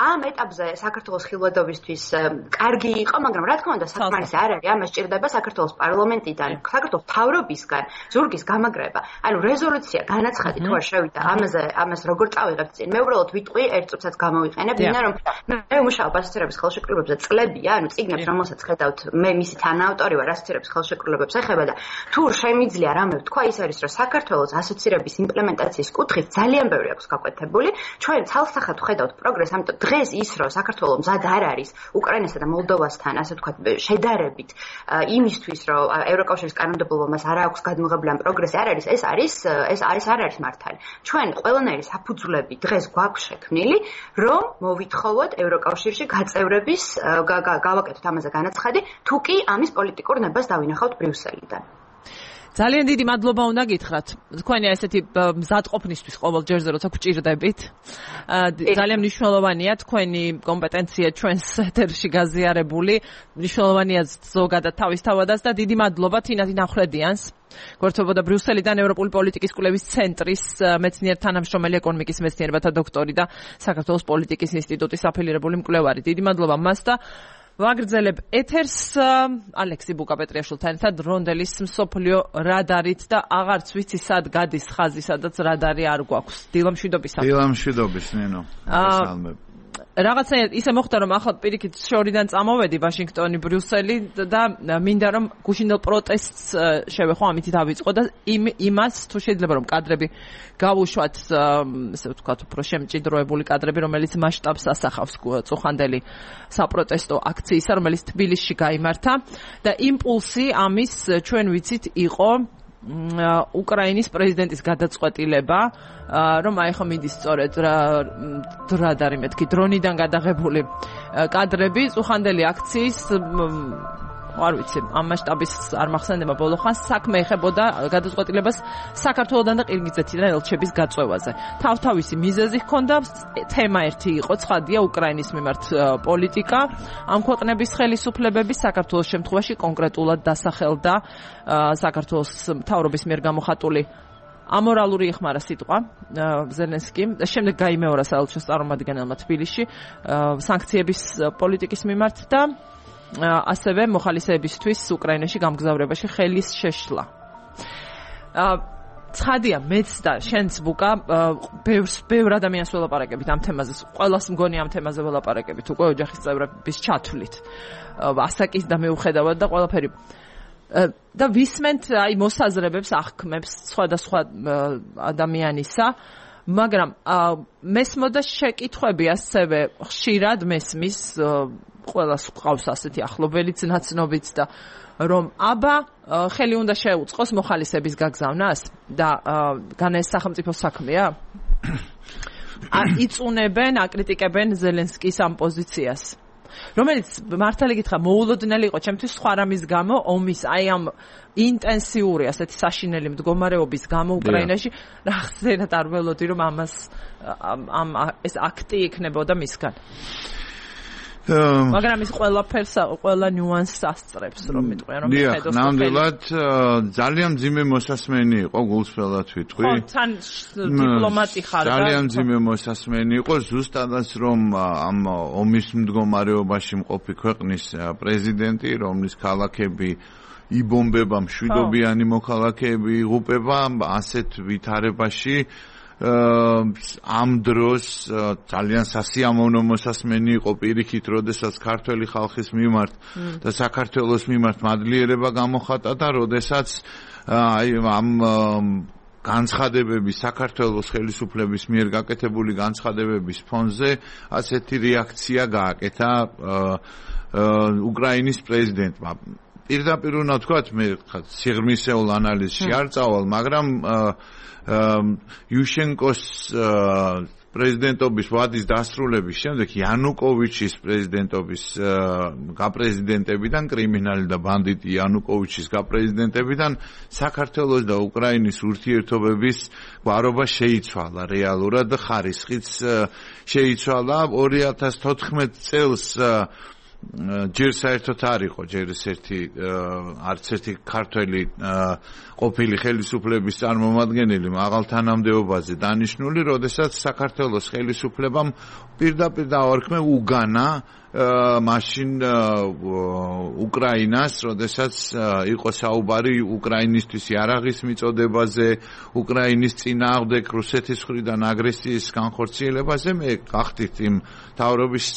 ამ ეტაპზე საქართველოს ხილვადობისთვის კარგი იყო, მაგრამ რა თქმა უნდა საკმარისი არ არის, ამას ჭირდება საქართველოს პარლამენტიდან, საქართველოს მთავრობისგან ზურგის გამაგრება. ანუ რეზოლუცია განაცხადი თუ არ შევიდა ამას როგორ წავიღებთ წინ. მე უბრალოდ ვიტყვი ერთ წუთსაც გამოვიყენებ, ვინა რომ მე ვმუშაობ ასოცირების ხელშეკრულებებზე წლებია, ანუ წიგნებს რომელსაც ხედავთ, მე მისი თანაავტორი ვარ, ასოცირების ხელშეკრულებებს ეხება და თუ შემიძლია რამე ვთქვა, ის არის რომ საქართველოს ასოცირების იმპლემენტაციის კუთხით ძალიან ბევრი აქვს გაკვეთებული. ჩვენ ცალსახად ვხედავთ პროგრესს, ამიტომ დღეს ის რომ საქართველოს მზად არ არის უკრაინასა და მოლდოვასთან ასე ვთქვათ შედარებით იმისთვის რომ ევროკავშირის კანონმდებლობა მას არ აქვს გადმოღებული ამ პროგრესი არ არის ეს არ არის მართალი. ჩვენ ყველანაირი საფუძვლები დღეს გვაქვს შექმნილი რომ მოვითხოვოთ ევროკავშირში გაწევრების გავაკეთოთ ამაზე განაცხადი თუ კი ამის პოლიტიკურ ნებას დავინახავთ ბრიუსელიდან. ძალიან დიდი მადლობა უნდა გითხრათ. თქვენი ესეთი მზადყოფნისთვის ყოველ ჯერზე როცა გვჭირდებით. ძალიან მნიშვნელოვანია თქვენი კომპეტენცია ჩვენს ეთერში გაზიარებული. მნიშვნელოვანია ზოგადად თავისთავადაც და დიდი მადლობა თინათინ ახვლედიანს. გვერდთვებოდა ბრიუსელიდან ევროპული პოლიტიკის კვლევის ცენტრის მეცნიერ თანამშრომელი ეკონომიკის მეცნიერებათა დოქტორი და საქართველოს პოლიტიკის ინსტიტუტის აფილირებული მკვლევარი. დიდი მადლობა მას და ვაგრძელებ ეთერს ალექსი ბუკაპეტრიაშვილთან ერთად რონდელის მსოფლიო რადარით და აღარც ვიცი სად გადის ხაზი, სადაც რადარი არ გვაქვს. დილამშვიდობისა. დილამშვიდობის, ნინო. რაღაცნაირად ისე მოხდა რომ ახლა პირიქით შორიდან წამოვედი ვაშინგტონი ბრიუსელი და მინდა რომ გუშინდელ პროტესტს შევეხო ამით დავიწყო და იმას თუ შეიძლება რომ კადრები გავუშვათ ესე ვთქვათ უფრო შემჭიდროებული კადრები რომელიც მასშტაბს ასახავს წუხანდელი საპროტესტო აქციისა რომელიც თბილისში გაიმართა და იმპულსი ამის ჩვენ ვიცით იყო უკრაინის პრეზიდენტის გადაწყვეტილება რომ აი ხო მიდის სწორედ რადარი მეთქი დრონიდან გადაღებული კადრები წუხანდელი აქციის არ ვიცი ამ მასშტაბის არ მახსენდება ბოლო ხანს საქმე ეხებოდა გადაწყვეტილებას საქართველოსთან და ყირგიზეთიდან ელჩების გაწვევაზე. თავთავისი მიზეზი ჰქონდა, თემა ერთი იყო, ცხადია უკრაინის მიმართ პოლიტიკა, ამ ქვეყნების ხელისუფლებების საქართველოს შემთხვევაში კონკრეტულად დასახელდა საქართველოს მთავრობის მიერ გამოხატული ამორალური იხმარა სიტყვა ზელენსკიმ და შემდეგ გაიმეორა საელჩოს წარმომადგენელმა თბილისში სანქციების პოლიტიკის მიმართ და ასევე მოხალისეებისთვის უკრაინაში გამგზავრებაში ხელის შეშლა. ცხადია, მეც და შენც ბუკა ბევრ ადამიანს ველაპარაკებით ამ თემაზე. ყველას მგონი ამ თემაზე ველაპარაკებით უკვე ოჯახის წევრების ჩათვლით. ასაკის და მეუხედავად და ყველაფერი. და ვისმენთ აი მოსაზრებებს აღქმებს სხვადასხვა ადამიანისა, მაგრამ მესმოდა შეკითხვები ასევე ხშირად მესმის ყველას ყავს ასეთი ახლობელიც ნაცნობიც და რომ აბა ხელი უნდა შეუწყოს მოხალისეების გაგზავნას და განა ეს სახელმწიფო საქმეა? იწუნებენ, აკრიტიკებენ ზელენსკის ამ პოზიციას. რომელიც მართალი გითხრა მოულოდნელი იყო ჩემთვის სხვა რამის გამო ომის აი ამ ინტენსიური ასეთი საშინელი მდგომარეობის გამო უკრაინაში რაღაცნაირად არ ველოდი რომ ამას ეს აქტი იქნებოდა მისგან. მაგრამ ის ყველა ნიუანსს ასწრებს რომ მიტყვია რომ მიხედოს ნამდვილად ძალიან მძიმე მოსასმენი იყო გულსფრელად ვიტყვი. ხო, თან დიპლომატი ხარ და ძალიან მძიმე მოსასმენი იყო ზუსტადაც რომ ამ ომის მდგომარეობაში მყოფი ქვეყნის პრეზიდენტი რომლის ქალაქები იბომბება მშვიდობიანი მოქალაქეები იღუპება ასეთ ვითარებაში ამ დროს ძალიან სასიამოვნო მოსასმენი იყო პირიქით, როდესაც ქართველი ხალხის მიმართ და საქართველოს მიმართ მადლიერება გამოხატა და როდესაც აი ამ განცხადებების საქართველოს ხელისუფლების მიერ გაკეთებული განცხადებების ფონზე ასეთი რეაქცია გააკეთა უკრაინის პრეზიდენტმა. პირდაპირ უნდა ვთქვათ, მე სიღრმისეულ ანალიზში არ წავალ, მაგრამ იუშენკოს პრეზიდენტობის ვადის დასრულების შემდეგ იანუკოვიჩის პრეზიდენტობის გაპრეზიდენტებიდან კრიმინალი და ბანდიტი იანუკოვიჩის გაპრეზიდენტებიდან საქართველოს და უკრაინის ურთიერთობების გვარობა შეიცვალა რეალურად და ხარისხიც შეიცვალა 2014 წელს ჯერ საერთოდ არ იყო ჯერ არც ერთი ქართველი ყოფილი ხელისუფლების წარმომადგენელი მაღალ თანამდებობაზე დანიშნული, როდესაც საქართველოს ხელისუფლებამ პირდაპირ დაარქმე უგანა მაშინ უკრაინას, როდესაც იყო საუბარი უკრაინისთვის იარაღის მიწოდებაზე, უკრაინის წინააღმდეგ რუსეთის მხრიდან აგრესიის განხორციელებაზე. მე გახდით იმ თავრობის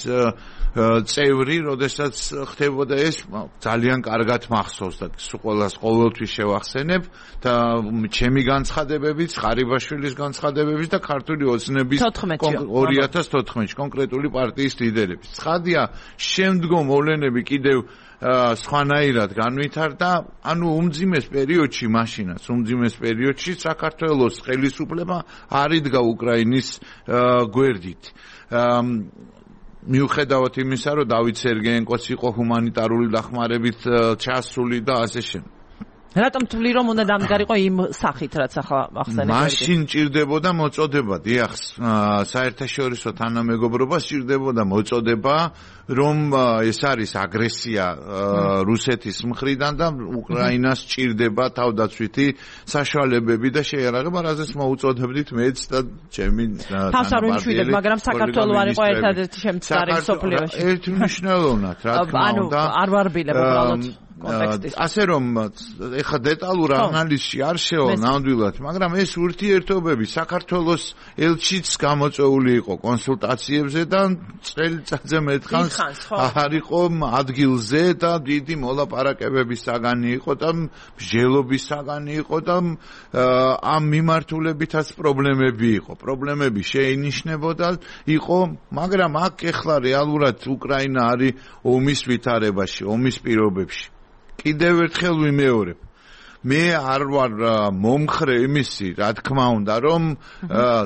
წევრი, როდესაც ხდებოდა ეს, ძალიან კარგად მახსოვს და ყველას ყოველთვის შევახსენებ და ჩემი განცხადებებიც, ყარიბაშვილის განცხადებებიც და ქართული ოცნების 2014 კონკრეტული პარტიის ლიდერების. ცხადია, შემდგომ მოვლენები კიდევ სხვანაირად განვითარდა, ანუ უმძიმეს პერიოდში საქართველოს ხელისუფლება არ იდგა უკრაინის გვერდით. მიუხედავად იმისა, რომ დავით სერგეენკოც იყო ჰუმანიტარული დახმარებით ჩასული და ასე შემდეგ. რატომ თვლი რომ უნდა დამდგარიყო იმ სახით, რაც ახლა ახსენეთ? მაშინ ჭირდებოდა მოწოდება, დიახ, საერთაშორისო თანამეგობრობას ჭირდებოდა მოწოდება, რომ ეს არის აგრესია რუსეთის მხრიდან და უკრაინას ჭირდება თავდაცვითი საშუალებები და შეიარაღება, რაზეც მოუწოდებდით მეც და ჩემი თანაბარდიელი, მაგრამ საქართველოს არ იყო ერთადერთი შემწყარი მსოფლიოში. ერთმნიშვნელოვნად, რა თქმა უნდა. ანუ არ ვარბილებ უბრალოდ ასე რომ ეხა დეტალურ ანალიზში არ შევა ნამდვილად, მაგრამ ეს ურთიერთობები საქართველოს ელჩიც გამოწვეული იყო კონსულტაციებზე და წელიწადზე მეტხანს არ იყო ადგილზე და დიდი მოლაპარაკებების საგანი იყო და მსჯელობის საგანი იყო და ამ მიმართულებითაც პრობლემები იყო. პრობლემები შეინიშნებოდა იყო, მაგრამ აქ ეხლა რეალურად უკრაინა არის ომის ვითარებაში, ომის პირობებში. კიდევ ერთხელ ვიმეორებ, მე არ ვარ მომხრე იმისი, რა თქმა უნდა, რომ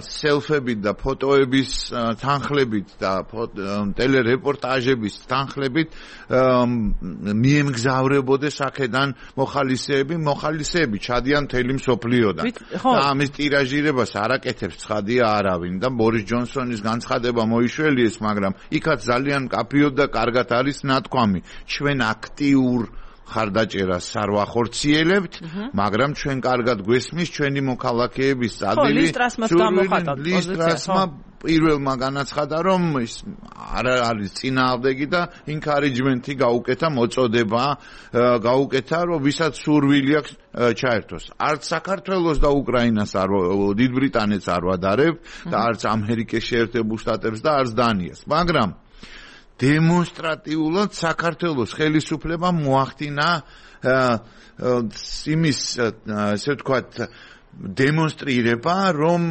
სელფებით და ფოტოების თანხლებით და ტელერეპორტაჟების თანხლებით მიემგზავრებოდეს აქედან მოხალისეები ჩადიან მთელი მსოფლიოდან. და ამის ტირაჟირებას არ აკეთებს ცხადია არავინ და ბორის ჯონსონის განცხადება მოიშველიეს, მაგრამ იქაც ძალიან კაფიოდ და კარგად არის ნათქვამი. ჩვენ აქტიურ ხარდაჭერას არ ვახორციელებთ, მაგრამ ჩვენ კარგად გვესმის ჩვენი მოქალაქეების წადილი. ლისტრასმა პირველმა განაცხადა, რომ ის არ არის წინააღმდეგი და ინკარიჯმენტი გაუკეთა, მოწოდება გაუკეთა, რომ ვისაც სურვილი აქვს ჩაერთოს. არც საქართველოს და უკრაინას დიდ ბრიტანეთს არ ვადარებ და არც ამერიკის შეერთებულ შტატებს და არც დანიას, მაგრამ დემონსტრატიულად საქართველოს ხელისუფლებამ მოახდინა იმის, ესე ვთქვათ, დემონსტრირება, რომ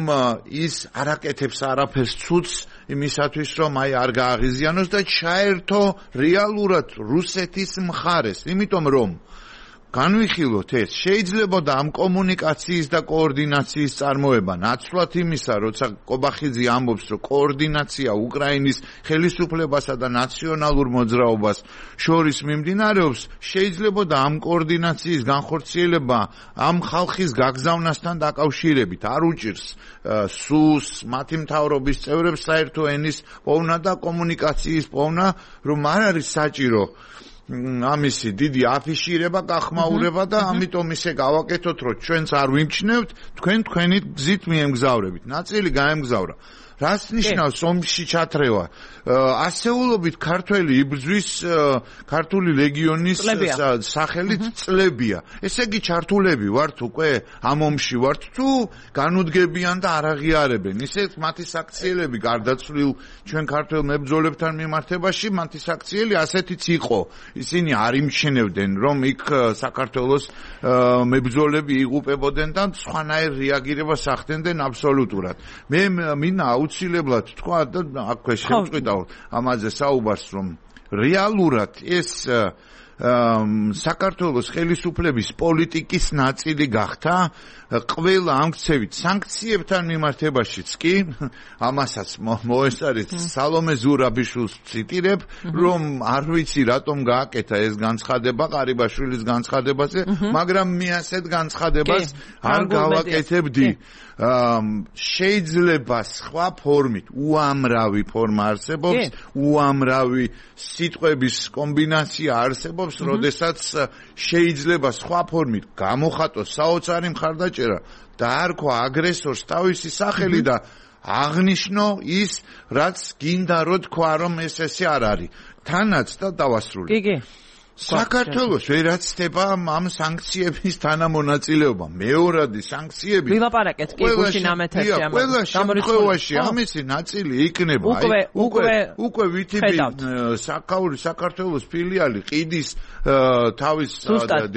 ის არ აკეთებს არაფერს ცუდს იმისათვის, რომ არ გააღიზიანოს და ჩაერთო რეალურად რუსეთის მხარეს, იმიტომ რომ განვიხილოთ ეს, შეიძლება და ამ კომუნიკაციის და კოორდინაციის წარმოება ნაცვლად იმისა, როცა კობახიძე ამბობს, რომ კოორდინაცია უკრაინის ხელისუფლებასა და ნაციონალურ მოძრაობას შორის მიმდინარეობს, შეიძლება და ამ კოორდინაციის განხორციელება ამ ხალხის გაგზავნასთან დაკავშირებით არ უჭირს სუს, მათი მთავრობის წევრებს საერთო ენის პოვნა და კომუნიკაციის პოვნა, რომ არ არის საჭირო ამისი დიდი აფიშირება, გახმაურება და ამიტომ ისე გავაკეთოთ, რომ ჩვენც არ ვიმჩნევთ, თქვენ თქვენი გზით მიემგზავრებით. ნაწილი გაემგზავრა. რას ნიშნავს ომში ჩათრევა? ასეულობით ქართველი იბრძვის ქართული ლეგიონის სახელით წლებია. ესე იგი ჩართულები ვართ უკვე ამ ომში ვართ თუ განუდგებიან და არ აღიარებენ. ისე მათი საქციელები გარდაცვლილ ჩვენ ქართველ მებრძოლებთან მიმართებაში მათი საქციელი ასეთიც იყო. ისინი არ იმჩნევდნენ რომ იქ საქართველოს მებრძოლები იღუპებოდნენ და სხვანაირ რეაგირებას ახდენდნენ აბსოლუტურად. მე მინდა აუცილებლად თქვა და აქვე შევწყვიტავ ამაზე საუბარს, რომ რეალურად ეს საქართველოს ხელისუფლების პოლიტიკის ნაწილი გახდა ყველა ამ ქცევით სანქციებთან მიმართებაშიც კი ამასაც მოესწარით სალომე ზურაბიშვილს ციტირებ რომ არ ვიცი რატომ გააკეთა ეს განცხადება ყარიბაშვილის განცხადებაზე მაგრამ მე ასეთ განცხადებას არ გავაკეთებდი შეიძლება სხვა ფორმით უამრავი ფორმა არსებობს უამრავი სიტყვების კომბინაცია არსებობს როდესაც შეიძლება სხვა ფორმით გამოხატოს საოცარი მხარდაჭერა და არქვა აგრესორს თავისი სახელი და აღნიშნო ის რაც გინდა რო თქვა რომ ესე არ არის თანაც და დავასრულე კი საქართველოს ვერაცდება ამ სანქციების თანამონაწილეობა მეორადი სანქციები ვილაპარაკეთ კი გუშინ ამ ეთერში ამ ყველა შემთხვევაში ამისი ნაწილი იქნება უკვე ვითიბი საქართველოს ფილიალი ყიდის თავის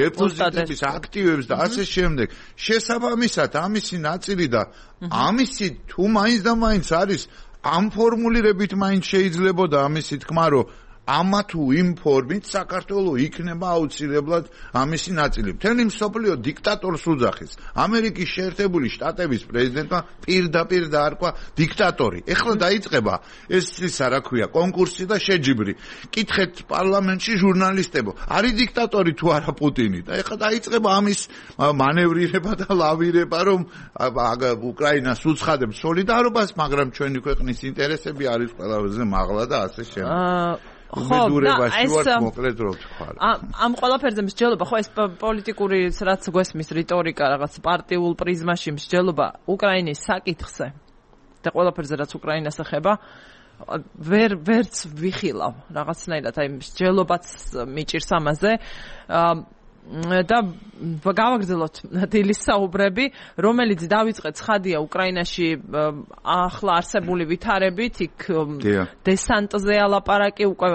დეპოზიტების აქტივებს და ასე შემდეგ შესაბამისად ამისი ნაწილი და ამისი თუ მაინც და მაინც არის ამ ფორმულირებით მაინც შეიძლებოდა ამისი თქმა რომ ამა თუ იმ ფორმით საქართველოს იქნება აუცილებლად ამისი ნაწილი. მთელი მსოფლიო დიქტატორს უძახის. ამერიკის შეერთებული შტატების პრეზიდენტმა პირდაპირ დაარქვა დიქტატორი. ეხლა დაიწყება ეს რა ქვია, კონკურსი და შეჯიბრი. კითხეთ პარლამენტში ჟურნალისტებო, არის დიქტატორი თუ არა პუტინი? და ეხლა დაიწყება ამის მანევრირება და ლავირება, რომ უკრაინას უცხადებთ სოლიდარობას, მაგრამ ჩვენი ქვეყნის ინტერესები არის ყველაზე მაღლა და ასე შემდეგ. ამ ყველაფერზე მსჯელობა ხო ეს პოლიტიკური რაც გვესმის რიტორიკა რაღაც პარტიულ პრიზმაში მსჯელობა უკრაინის საკითხზე და ყველაფერზე რაც უკრაინას ეხება ვერც ვიხილავ რაღაცნაირად აი მსჯელობაც მიჭირს ამაზე და გავაგრძელოთ დილის საუბრები, რომელიც დავიწყეთ ცხადია უკრაინაში ახლა არსებული ვითარებით, იქ დესანტზე ალაპარაკი უკვე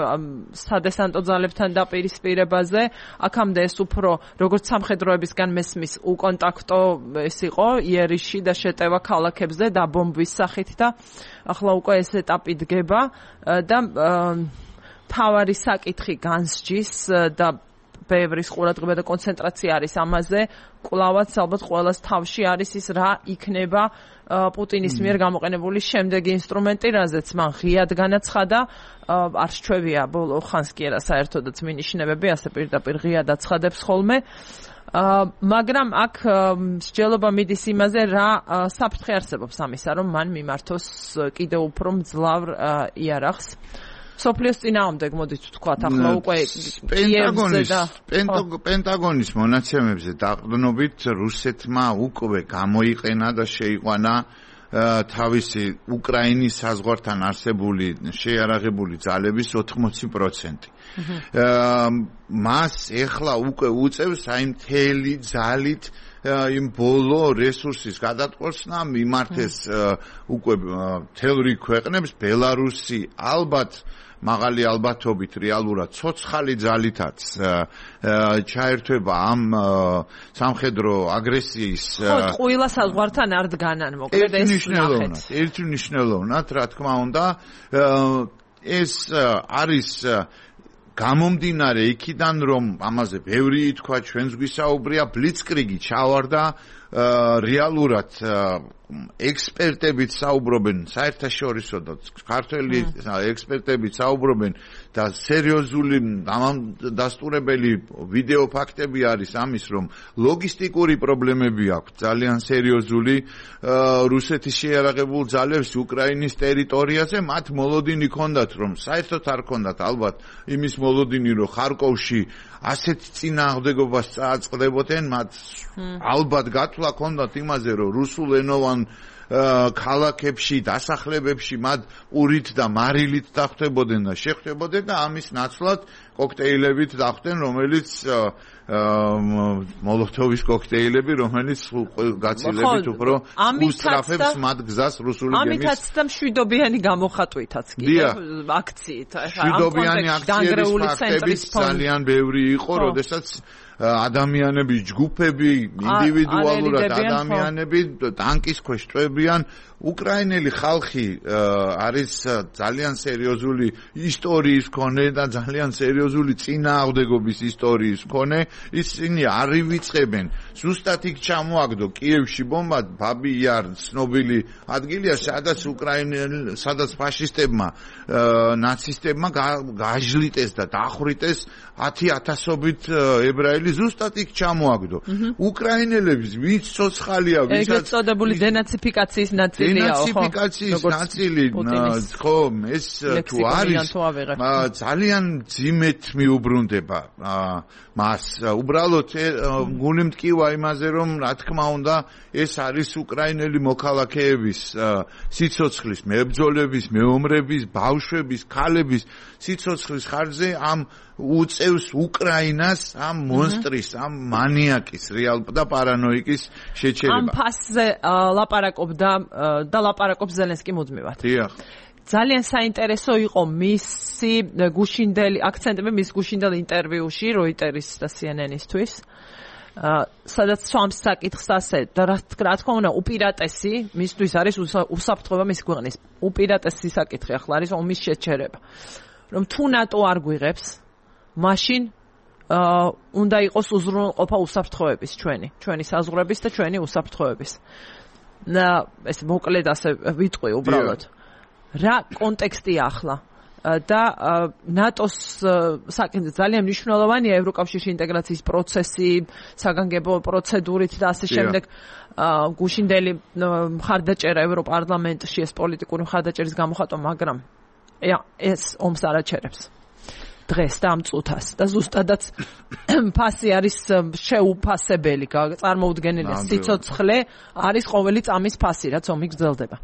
სადესანტო ძალებთან დაპირისპირებაზე, აქამდე ეს უფრო როგორც სამხედროებისგან მესმის უკონტაქტო ეს იყო იერიში და შეტევა ქალაქებზე დაბომბვის სახით და ახლა უკვე ეს ეტაპი დგება და თავარი საკითხი განსჯის და ბევრის ყურადღება და კონცენტრაცია არის ამაზე, კვლავაც ალბათ ყველას თავში არის ის რა იქნება პუტინის მიერ გამოყენებული შემდეგი ინსტრუმენტი, რაზეც მან ღიად განაცხადა, არ სჩვევია ბოლო ხანს კი არა საერთოდაც მინიშნებები, ასე პირდაპირ ღიად აცხადებს ხოლმე. მაგრამ აქ მსჯელობა მიდის იმაზე, რა საფრთხე არსებობს ამისა, რომ მან მიმართოს კიდევ უფრო მძლავრ იარაღს. სოფლიოს წინააღმდეგ მოდით ვთქვათ ახლა უკვე პენტაგონის მონაცემებზე დაყრდნობით რუსეთმა უკვე გამოიყენა და შეიყვანა თავისი უკრაინის საზღვართან არსებული შეიარაღებული ძალების 80%. მას ეხლა უკვე უწევს აი მთელი ძალით იმ ბოლო რესურსის გადატყვევასნა მიმართეს უკვე მთელ რიგ ქვეყნებს ბელარუსი ალბათ მაღალი ალბათობით რეალურად ცოცხალი ძალითაც ჩაერთვება ამ სამხედრო აგრესიის ყველა საზღვართან არ დგანან მოკლედ ეს ნახეთ ერთი მნიშვნელოვნად რა თქმა უნდა ეს არის გამომდინარე იქიდან რომ ამაზე ბევრი ითქვა ჩვენს გვისაუბრია ბლიცკრიგი ჩავარდა რეალურად ექსპერტებიც საუბრობენ საერთაშორისო და ქართველი ექსპერტებიც საუბრობენ და სერიოზული დამასტურებელი ვიდეო ფაქტები არის ამის რომ ლოგისტიკური პრობლემები აქვს ძალიან სერიოზული რუსეთის შეიარაღებულ ძალებს უკრაინის ტერიტორიაზე მათ მოლოდინი ჰქონდათ რომ საერთოდ არ ჰქონდათ ალბათ იმის მოლოდინი რომ ხარკოვში ასეთ წინააღმდეგობას წააწყდებოდნენ მათ ალბათ გათვლა ჰქონდათ იმაზე რომ რუსულენოვან ქალაქებში დასახლებებში მათ პურით და მარილით დახვდებოდნენ და შეხვდებოდნენ და ამის ნაცვლად კოქტეილებით დახვდნენ რომელიც მოლოტოვის კოქტეილები რომელიც გაცილებით უფრო უსწრაფებს მათ გზას რუსული გემის ამითაც და მშვიდობიანი გამოხატვითაც კიდე აქციით მშვიდობიანი აქციების ფაქტებიც ძალიან ბევრი იყო როდესაც ადამიანები ჯგუფები ინდივიდუალურად ადამიანები ტანკის ქვეშ იღებიან. უკრაინელი ხალხი არის ძალიან სერიოზული ისტორიის მქონე და ძალიან სერიოზული წინააღმდეგობის ისტორიის მქონე. ისინი არ ივიწყებენ. ზუსტად იქ ჩამოაგდო კიევში ბომბა, ბაბი იარ ცნობილი ადგილია, სადაც ფაშისტებმა ნაცისტებმა გააჟლიტეს და დახრიტეს 10,000-ობით ებრაელი ზუსტად იქ ჩამოაგდო. უკრაინელების ვინც ცოცხალია, ვინც ეგრეთ წოდებული დენაციფიკაციის ნაწილია, ხო? დენაციფიკაციის ნაწილი, ხო, ეს თუ არის ძალიან ძიმეთ მიუბრუნდება მას. უბრალოდ გული მტკივა იმაზე, რომ რა თქმა უნდა ეს არის უკრაინელი მოქალაქეების სიცოცხლის, მებრძოლების, მეომრების, ბავშვების, ქალების სიცოცხლის ხარჯზე ამ უწევს უკრაინას ამ მონსტრის, ამ მანიაკის და პარანოიკის შეჩერება. ამ ფასზე ლაპარაკობდა და ლაპარაკობს ზელენსკი მუდმივად. დიახ. ძალიან საინტერესო იყო მისი გუშინდელი აქცენტები მის გუშინდელ ინტერვიუში Reuters და CNN-ისთვის. სადაც swamps საკითხს ასე და რა თქმა უნდა უპირატესი მისთვის არის უსაფრთხოება მის ქვეყნის. უპირატესი საკითხი ახლა არის ომის შეჩერება. რომ თუ ნატო არ გვიღებს, მაშინ უნდა იყოს უზრუნველყოფა უსაფრთხოების ჩვენი საზღვრების და ჩვენი უსაფრთხოების. ეს მოკლედ ასე ვიტყვი უბრალოდ. რა კონტექსტია ახლა და ნატოს საკითხი ძალიან მნიშვნელოვანია ევროკავშირში ინტეგრაციის პროცესი, საგანგებო პროცედურით და ასე შემდეგ. გუშინდელი მხარდაჭერა ევროპარლამენტში ეს პოლიტიკური მხარდაჭერის გამოხატვა, მაგრამ ეს ომს არ აჩერებს. დღეს და ამ წუთას და ზუსტადაც ფასი არის შეუფასებელი, წარმოუდგენელი სიცოცხლე არის ყოველი წამის ფასი, რაც ომი გრძელდება.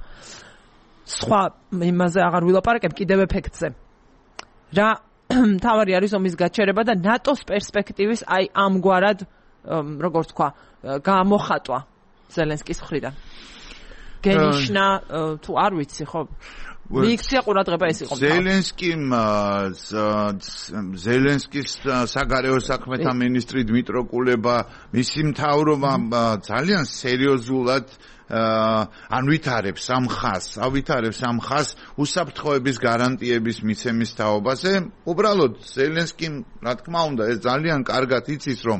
სხვა იმაზე აღარ ვილაპარაკებ, კიდევ ეფექტზე. რა თავარი არის ომის გაჩერება და ნატოს პერსპექტივის აი ამგვარად, როგორც თქვა, გამოხატვა ზელენსკის მხრიდან. გენიშნა თუ არ ვიცი, ხო? მიიქცია ყურადღება ეს იყო. ზელენსკის საგარეო საქმეთა მინისტრი დმიტრო კულება, მისი მთავრობა ძალიან სერიოზულად ავითარებს ამ ხაზს უსაფრთხოების გარანტიების მიცემის თაობაზე. უბრალოდ ზელენსკიმ, რა თქმა უნდა, ეს ძალიან კარგად იცის, რომ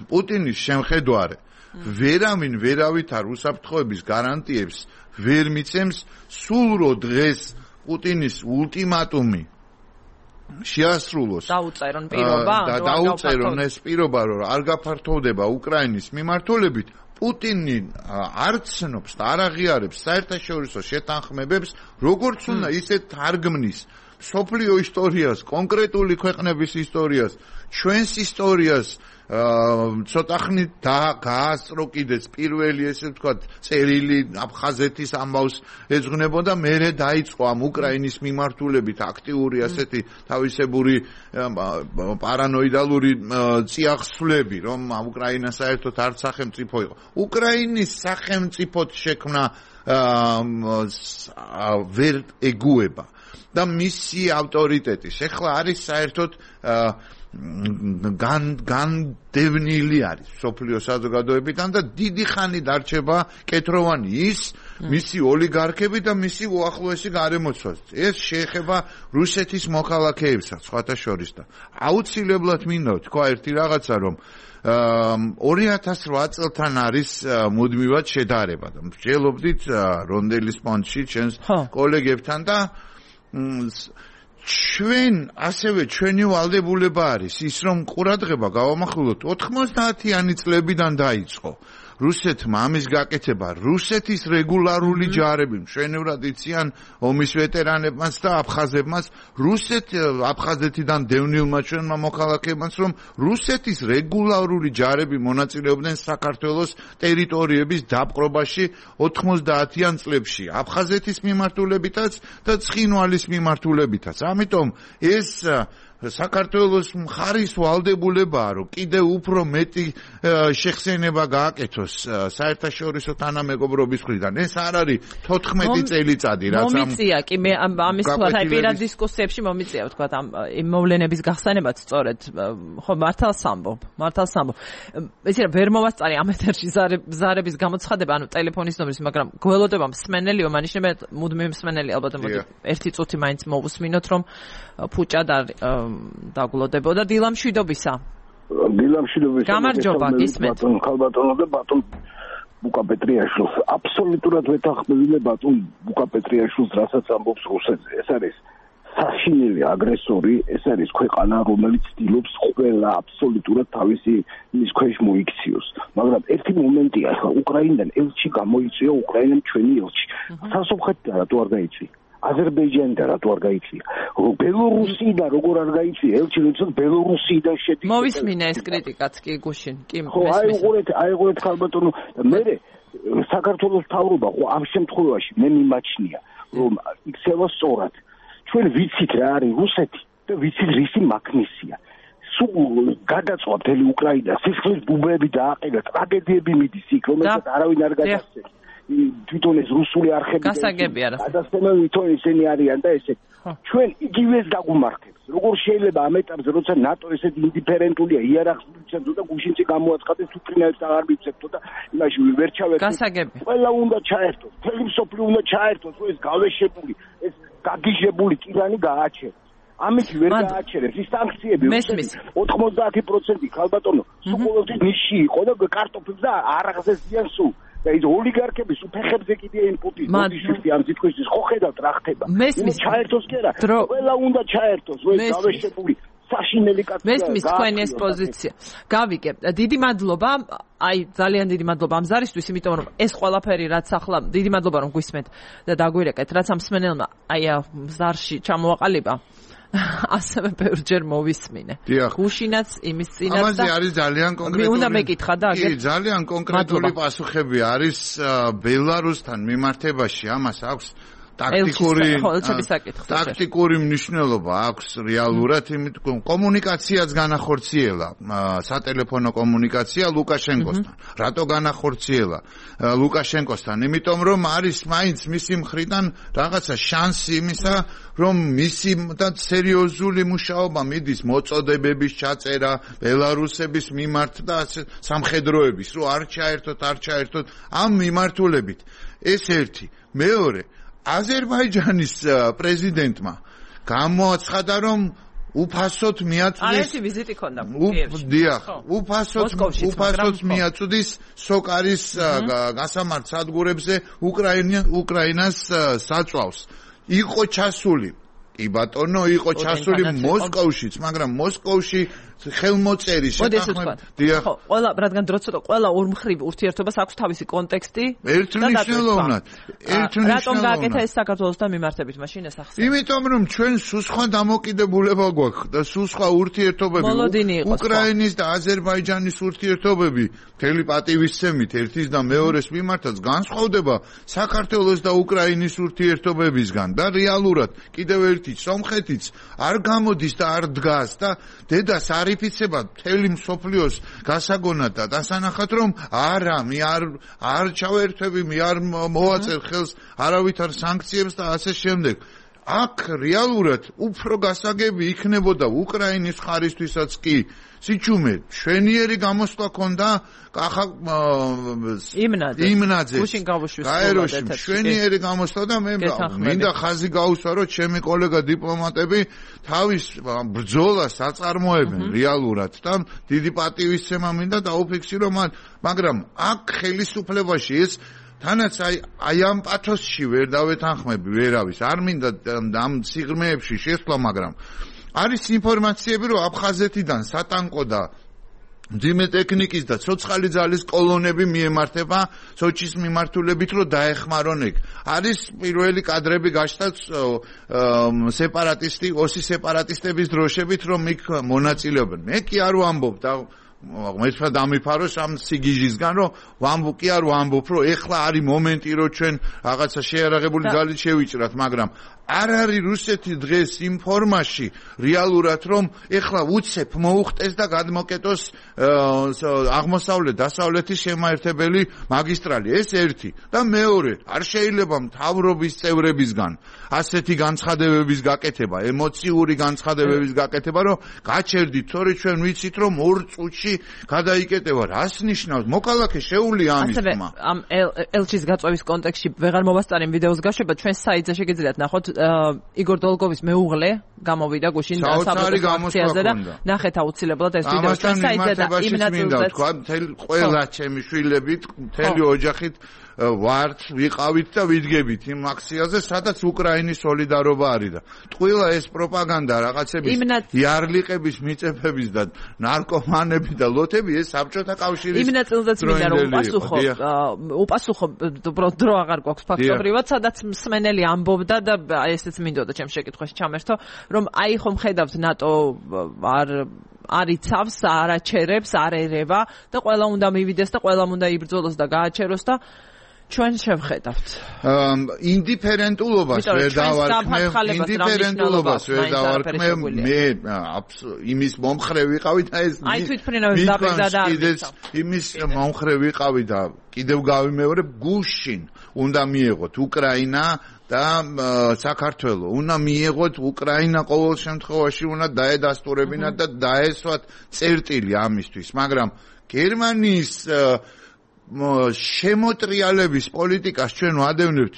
პუტინის შემხედვარე ვერავითარ უსაფრთხოების გარანტიებს ვერ მიცემს, სულ რო დღეს პუტინის ultimatumi შეასრულოს. დაუწერონ ეს პირობა, რომ არ გაფართოვდება უკრაინის მიმართულებით. პუტინი არ ცნობს და არ აღიარებს საერთაშორისო შეთანხმებებს, როგორც უნდა ისე თარგმნის სოფლიო ისტორიას, კონკრეტული ქვეყნების ისტორიას, ჩვენს ისტორიას ცოტა ხნით გაასწრო კიდეც პირველი ესე ვთქვათ წერილი აფხაზეთის ამბავს ეძღვნებოდა, მერე დაიწყო ამ უკრაინის მიმართულებით აქტიური ასეთი თავისებური პარანოიდალური წიაღსვლები, რომ უკრაინა საერთოდ არ სახელმწიფო იყო. უკრაინის სახელმწიფოდ შექმნა ვერ ეგუება და მისი ავტორიტეტის ეხლა არის საერთოდ განდევნილი არის სოფლიო საზოგადოებიდან და დიდი ხანი დარჩება კეთროვანი ის მისი ოლიგარქები და მისი უახლოესი გარემოცვაც. ეს შეეხება რუსეთის მოქალაქეებსაც სხვათა შორის და აუცილებლად მინდა თქვა ერთი რაღაცა, რომ 2008 წელთან არის მუდმივად შედარება და მსჯელობდით რონდელის პონტში ჩვენს კოლეგებთან და ჩვენი ვალდებულება არის ის, რომ ყურადღება გავამახვილოთ 90-იანი წლებიდან დაიწყო რუსეთმა ამის გაკეთება. რუსეთის რეგულარული ჯარები მშვენივრად იციან ომის ვეტერანებმაც და აფხაზებმაც, აფხაზეთიდან დევნილმა ჩვენმა მოქალაქეებმაც, რომ რუსეთის რეგულარული ჯარები მონაწილეობდნენ საქართველოს ტერიტორიების დაპყრობაში 90-იან წლებში, აფხაზეთის მიმართულებითაც და ცხინვალის მიმართულებითაც. ამიტომ ეს საქართველოს მხარის ვალდებულებაა, რომ კიდევ უფრო მეტი შეხსენება გააკეთოს საერთაშორისო თანამეგობრობის მხრიდან. ეს არ არის 14 წელიწადი, რაც მომიწია კი მე ამის თქვა აი პირად დისკუსიებში მომიწია თქვა ამ მოვლენების გახსენებაც სწორედ ხო მართალს ამბობ. ესე რა ვერ მოვასწარი ამ ეთერში ზარების გამოცხადება, ანუ ტელეფონის ნომრის, მაგრამ გველოდება მსმენელიო, მანიშნებია მუდმივი მსმენელი ალბათ მოდი ერთი წუთი მაინც მოვუსმინოთ, რომ ფუჭად არ დაგულოდებოდა დილამშვიდობისა. გამარჯობა, გისმენთ. ხალბატონო და ბატონ ბუკა პეტრიაშვილს აბსოლუტურად ვეთანხმებინე ბატონ ბუკა პეტრიაშვილს, რასაც ამბობს რუსეთზე. ეს არის საშინელი აგრესორი, ეს არის ქვეყანა, რომელიც ცდილობს ყველა აბსოლუტურად თავისი მის ქვეშ მოიქციოს. მაგრამ ერთი მომენტია, ახლა უკრაინიდან ელჩი გამოიწვია, უკრაინამ ჩვენი ელჩი. სასოფხეთიდან რატო არ გაიწვია? აზერბაიჯანიდან რატო არ გაიწვია? ბელორუსიდან როგორ არ გაიწვია? ელჩი როცა ბელორუსიდან შედის. მოვისმინე ეს კრიტიკაც კი გუშინ, კი ხო, აიღურეთ ხალბატონო, მე საქართველოს მთავრობა ხო ამ შემთხვევაში მე მიმაჩნია, რომ იქცევა სწორად. ჩვენ ვიცით რა არის რუსეთი და ვიცით რისი მაქნისია. სულ გადაწვა მთელი უკრაინა, სისხლის ბუბები დააყენა, ტრაგედიები მიდის იქ, რომელსაც არავინ არ გადასცემს. თვითონ ეს რუსული არხები გასაგები არა. გადასცემენ თვითონ ისინი არიან და ესე. ჩვენ იგივეს დაგუმართებს. როგორ შეიძლება ამ ეტაპზე, როცა ნატო ესეთი ინდიფერენტულია, იარაღს მიცემს და გუშინში გამოაცხადეს უკრაინელს აღარ მიცემს და იმაში ვერ ჩავერთო. გასაგები. ყველა უნდა ჩაერთოს, მთელი მსოფლიო უნდა ჩაერთოს, რომ ეს გავეშებული, ეს გაგიჟებული ტირანი გააჩეროს. ამით ვერ გააჩერებს ის სანქციები 90% ხალბატონო სულ ნიში იყო და კარტოფილს და არაღზე ზიან სულ და ის ოლიგარქების უფეხებზე კიდე ინპუტი მოდიშვის ამ თითქოს ხო ხედავთ რა ხდება ჩაერთოს კი არა ყველა უნდა ჩაერთოს რომ ეს გავეშებული საშინელი კაცია მესმის თქვენი ეს პოზიცია გავიგებ დიდი მადლობა აი ძალიან დიდი მადლობა ამ ზარისთვის იმიტომ რომ ეს ყველაფერი რაც ახლა დიდი მადლობა რომ გვისმენთ და დაგვირეკეთ რაც ამ მსმენელმა აი ზარში ჩამოაყალიბა ასევე ბევრჯერ მოვისმინე. გუშინაც იმის წინაც და ამაზე არის ძალიან კონკრეტული. უნდა მეკითხა და კი, ძალიან კონკრეტული პასუხები არის ბელარუსთან მიმართებაში. ამას აქვს ტაქტიკური მნიშვნელობა აქვს რეალურად, იმიტომ კომუნიკაციაც განახორციელა, სატელეფონო კომუნიკაცია ლუკაშენკოსთან. რატო განახორციელა ლუკაშენკოსთან? იმიტომ რომ არის მაინც მისი მხრიდან რაღაცა შანსი იმისა, რომ მისი და სერიოზული მუშაობა მიდის მოწოდებების ჩაწერა ბელარუსების მიმართ და სამხედროების, რომ არ ჩაერთოთ ამ მიმართულებით. ეს ერთი. მეორე აზერბაიჯანის პრეზიდენტმა გამოაცხადა, რომ უფასოდ მიაწვდის არეთი ვიზიტი ქონდა კიევში. უფასოდ მიაწვდის სოკარის გასამართ სადგურებზე უკრაინას საწვავს. იყო ჩასული კი ბატონო, იყო ჩასული მოსკოვშიც, მაგრამ მოსკოვში ხელმოწერის შეთანხმებით. ხო, ყველა რადგან დრო ცოტა ყველა ორმხრივ ურთიერთობას აქვს თავისი კონტექსტი. ერთმნიშვნელოვნად. რატომ გააკეთა ეს საქართველოსთან მიმართებით მაშინ ეს ახსნა? იმიტომ რომ ჩვენ სულ სხვა დამოკიდებულება გვაქვს და სულ სხვა ურთიერთობები. უკრაინის და აზერბაიჯანის ურთიერთობები მთელი პატივისცემით ერთის და მეორეს მიმართაც განსხვავდება საქართველოს და უკრაინის ურთიერთობებისგან და რეალურად კიდევ ერთი სომხეთიც არ გამოდის და არ დგას და დედას არიფიცება მთელი მსოფლიოს გასაგონად და დასანახად რომ არა მე არ ჩავერთვები მე არ მოვაწერ ხელს არავითარ სანქციებს და ასე შემდეგ აქ რეალურად უფრო გასაგები იქნებოდა უკრაინის ხარისთვისაც კი სიჩუმე შვენიერი გამოსვლა ქონდა იმნაძე გაეროში შვენიერი გამოსვლა და მე მინდა ხაზი გაუსვა რომ ჩემი კოლეგა დიპლომატები თავის ბრძოლას აწარმოებენ რეალურად და დიდი პატივისცემა მინდა დაუფიქსირო მაგრამ აქ ხელისუფლებაში ეს თანაც აი ამ პათოსში ვერ დავეთანხმები ვერავის არ მინდა ამ სიღრმეებში შესვლა მაგრამ არის ინფორმაციები რომ აფხაზეთიდან სატანკო და მძიმე ტექნიკის და ცოცხალი ძალის კოლონები მიემართება სოჩის მიმართულებით რომ დაეხმარონ ეგ არის პირველი კადრები გაშთა სეპარატისტი ოსი სეპარატისტების დროშებით რომ იქ მონაწილეობენ მე კი არ ვამბობ და მეცხრა დამიფაროს ამ სიგიჟისგან რომ ვამბობ კი არ ვამბობ რომ ეხლა არის მომენტი რომ ჩვენ რაღაცა შეარაღებული ძალით შევიჭრათ მაგრამ არ არის რუსეთი დღეს იმ ფორმაში რეალურად რომ ეხლა უცებ მოუხტეს და გადმოკეტოს აღმოსავლეთ დასავლეთის შემაერთებელი მაგისტრალი ეს ერთი და მეორე არ შეიძლება მთავრობის წევრებისგან ასეთი განცხადებების გაკეთება ემოციური განცხადებების გაკეთება რომ გაჩერდით თორე ჩვენ ვიცით რომ 2 წუთში გადაიკეტება რას ნიშნავს მოქალაქე შეუულია ამის თქმა ამ ელჩის გაწვევის კონტექსტში ვეღარ მოვასწარებ ვიდეოს გაშვება ჩვენ საიტზე შეგიძლიათ ნახოთ იგორ დოლგოვის მეუღლე გამოვიდა გუშინ საბჭოთა აქციაზე და ნახეთ აუცილებლად ეს ვიდეო ჩვენ საიტზე და იმ ნაწილზე ყველა ჩემი შვილებით მთელი ოჯახით ვართ ვიყავით და ვიდგებით იმ აქციაზე სადაც უკრაინის სოლიდარობა არის და ტყუილა ეს პროპაგანდა რაღაცების იარლიყების მიწებების და ნარკომანები და ლოთები ეს საბჭოთა კავშირის იმ ნაწილზეც მინდა რომ უპასუხო დრო აღარ გვაქვს ფაქტობრივად სადაც მსმენელი ამბობდა და ესეც მინდოდა ჩემს შეკითხვაში ჩამერთო რომ აი ხომ ხედავთ ნატო არიცავს, არაჩერებს, არ ერევა და ყველა უნდა მივიდეს და ყველა უნდა იბრძოლოს და გააჩეროს და ჩვენ შევხედავთ. ინდიფერენტულობას ვერ დავარქმევ, მე იმის მომხრე ვიყავი და ეს აი თვითმფრინავის დაბედა და იმის მომხრე ვიყავი და კიდევ გავიმეორებ გუშინ უნდა მიეღოთ უკრაინა და საქართველო უნდა მიეღოთ უკრაინა ყოველ შემთხვევაში უნდა დაედასტურებინათ და დაესვათ წერტილი ამისთვის მაგრამ გერმანიის შემოტრიალების პოლიტიკას ჩვენ ვადევნებთ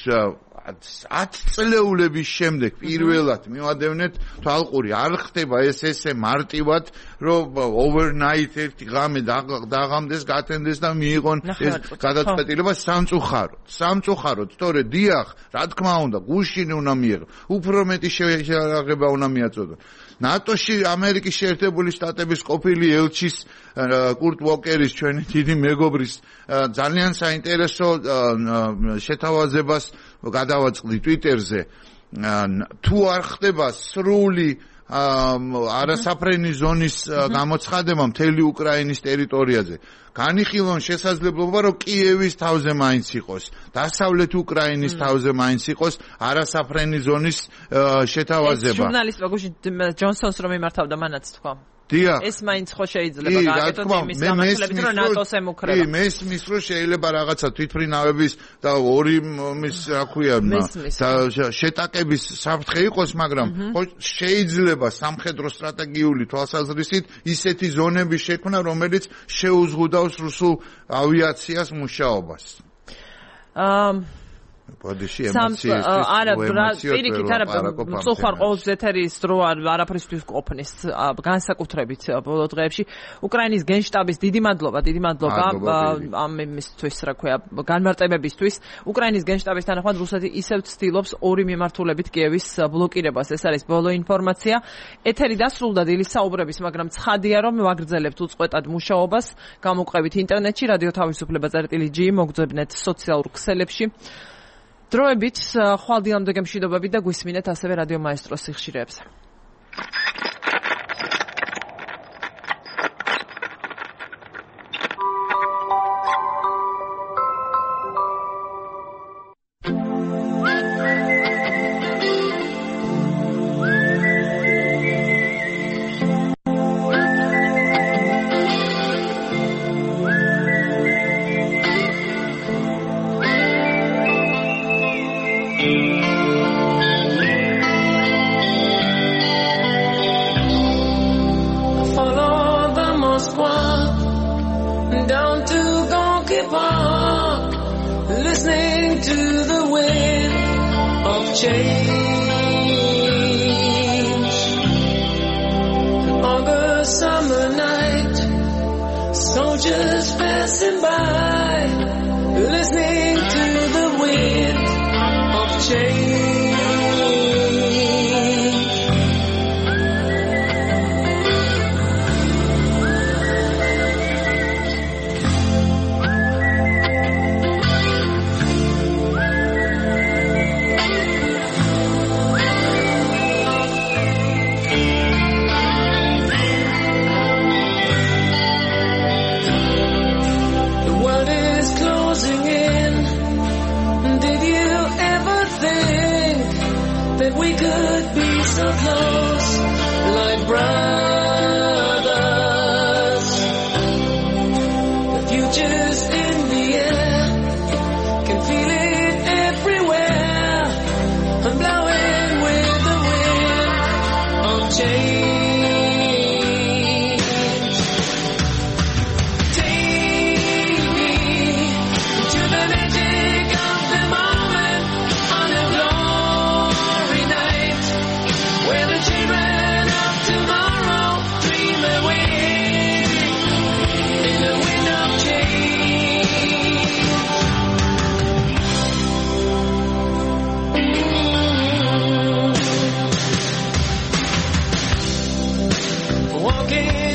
10 წლეულების შემდეგ პირველად მივადევნეთ თვალყური არ ხდება ესე მარტივად რომ overnight ერთი ღამე დაღამდეს გათენდეს და მიიღონ ეს გადაწყვეტილება სამწუხაროდ თორე დიახ რა თქმა უნდა გუშინ უნდა მიიღო უფრო მეტი შეერაღება უნდა მიაწოდოს ნატოში ამერიკის შეერთებული შტატების ყოფილი ელჩის კურტ ვოკერის ჩვენი დიდი მეგობრის ძალიან საინტერესო შეთავაზებას გადავაწყდი Twitter-ზე თუ არ ხდება სრული არასაფრენი ზონის გამოცხადება მთელი უკრაინის ტერიტორიაზე განიხილონ შესაძლებლობა რომ კიევის თავზე მაინც იყოს დასავლეთ უკრაინის თავზე მაინც იყოს არასაფრენი ზონის შეთავაზება ჟურნალისტ გუშინ ჯონსონს რომ იმართავდა მანაც თქვა ეს მაინც ხო შეიძლება გააკეთოს იმის გამართლებით რომ ნატოს ემუქრება მესმის რომ შეიძლება რაღაცა თვითმფრინავების და ორი მის რა ქვია შეტაკების საფრთხე იყოს მაგრამ ხო შეიძლება სამხედრო სტრატეგიული თვალსაზრისით ისეთი ზონების შექმნა რომელიც შეუზღუდავს რუსულ ავიაციას მუშაობას ბოდიში ემოციების არა პირიქით არა სწორ ყოველთვის ეთერის დრო არაფრისთვის ყოფნის განსაკუთრებით ბოლო დღეებში უკრაინის გენშტაბის დიდი მადლობა ამ იმისთვის რა ქვია განმარტებებისთვის უკრაინის გენშტაბის თანახმად რუსეთი ისევ ცდილობს ორი მიმართულებით კიევის ბლოკირებას ეს არის ბოლო ინფორმაცია ეთერი დასრულდა დილის საუბრების მაგრამ ცხადია რომ ვაგრძელებთ უწყვეტად მუშაობას გამოყვებით ინტერნეტში რადიო თავისუფლება.gi მოგძებნეთ სოციალურ ქსელებში დროებით ხვალ დილამდე გემშვიდობებით და გვისმინეთ ასევე რადიო მაესტროს სიხშირეებზე. The world is closing in. brothers. The future's in the air, can feel it everywhere. I'm blowing with the wind of change. Walking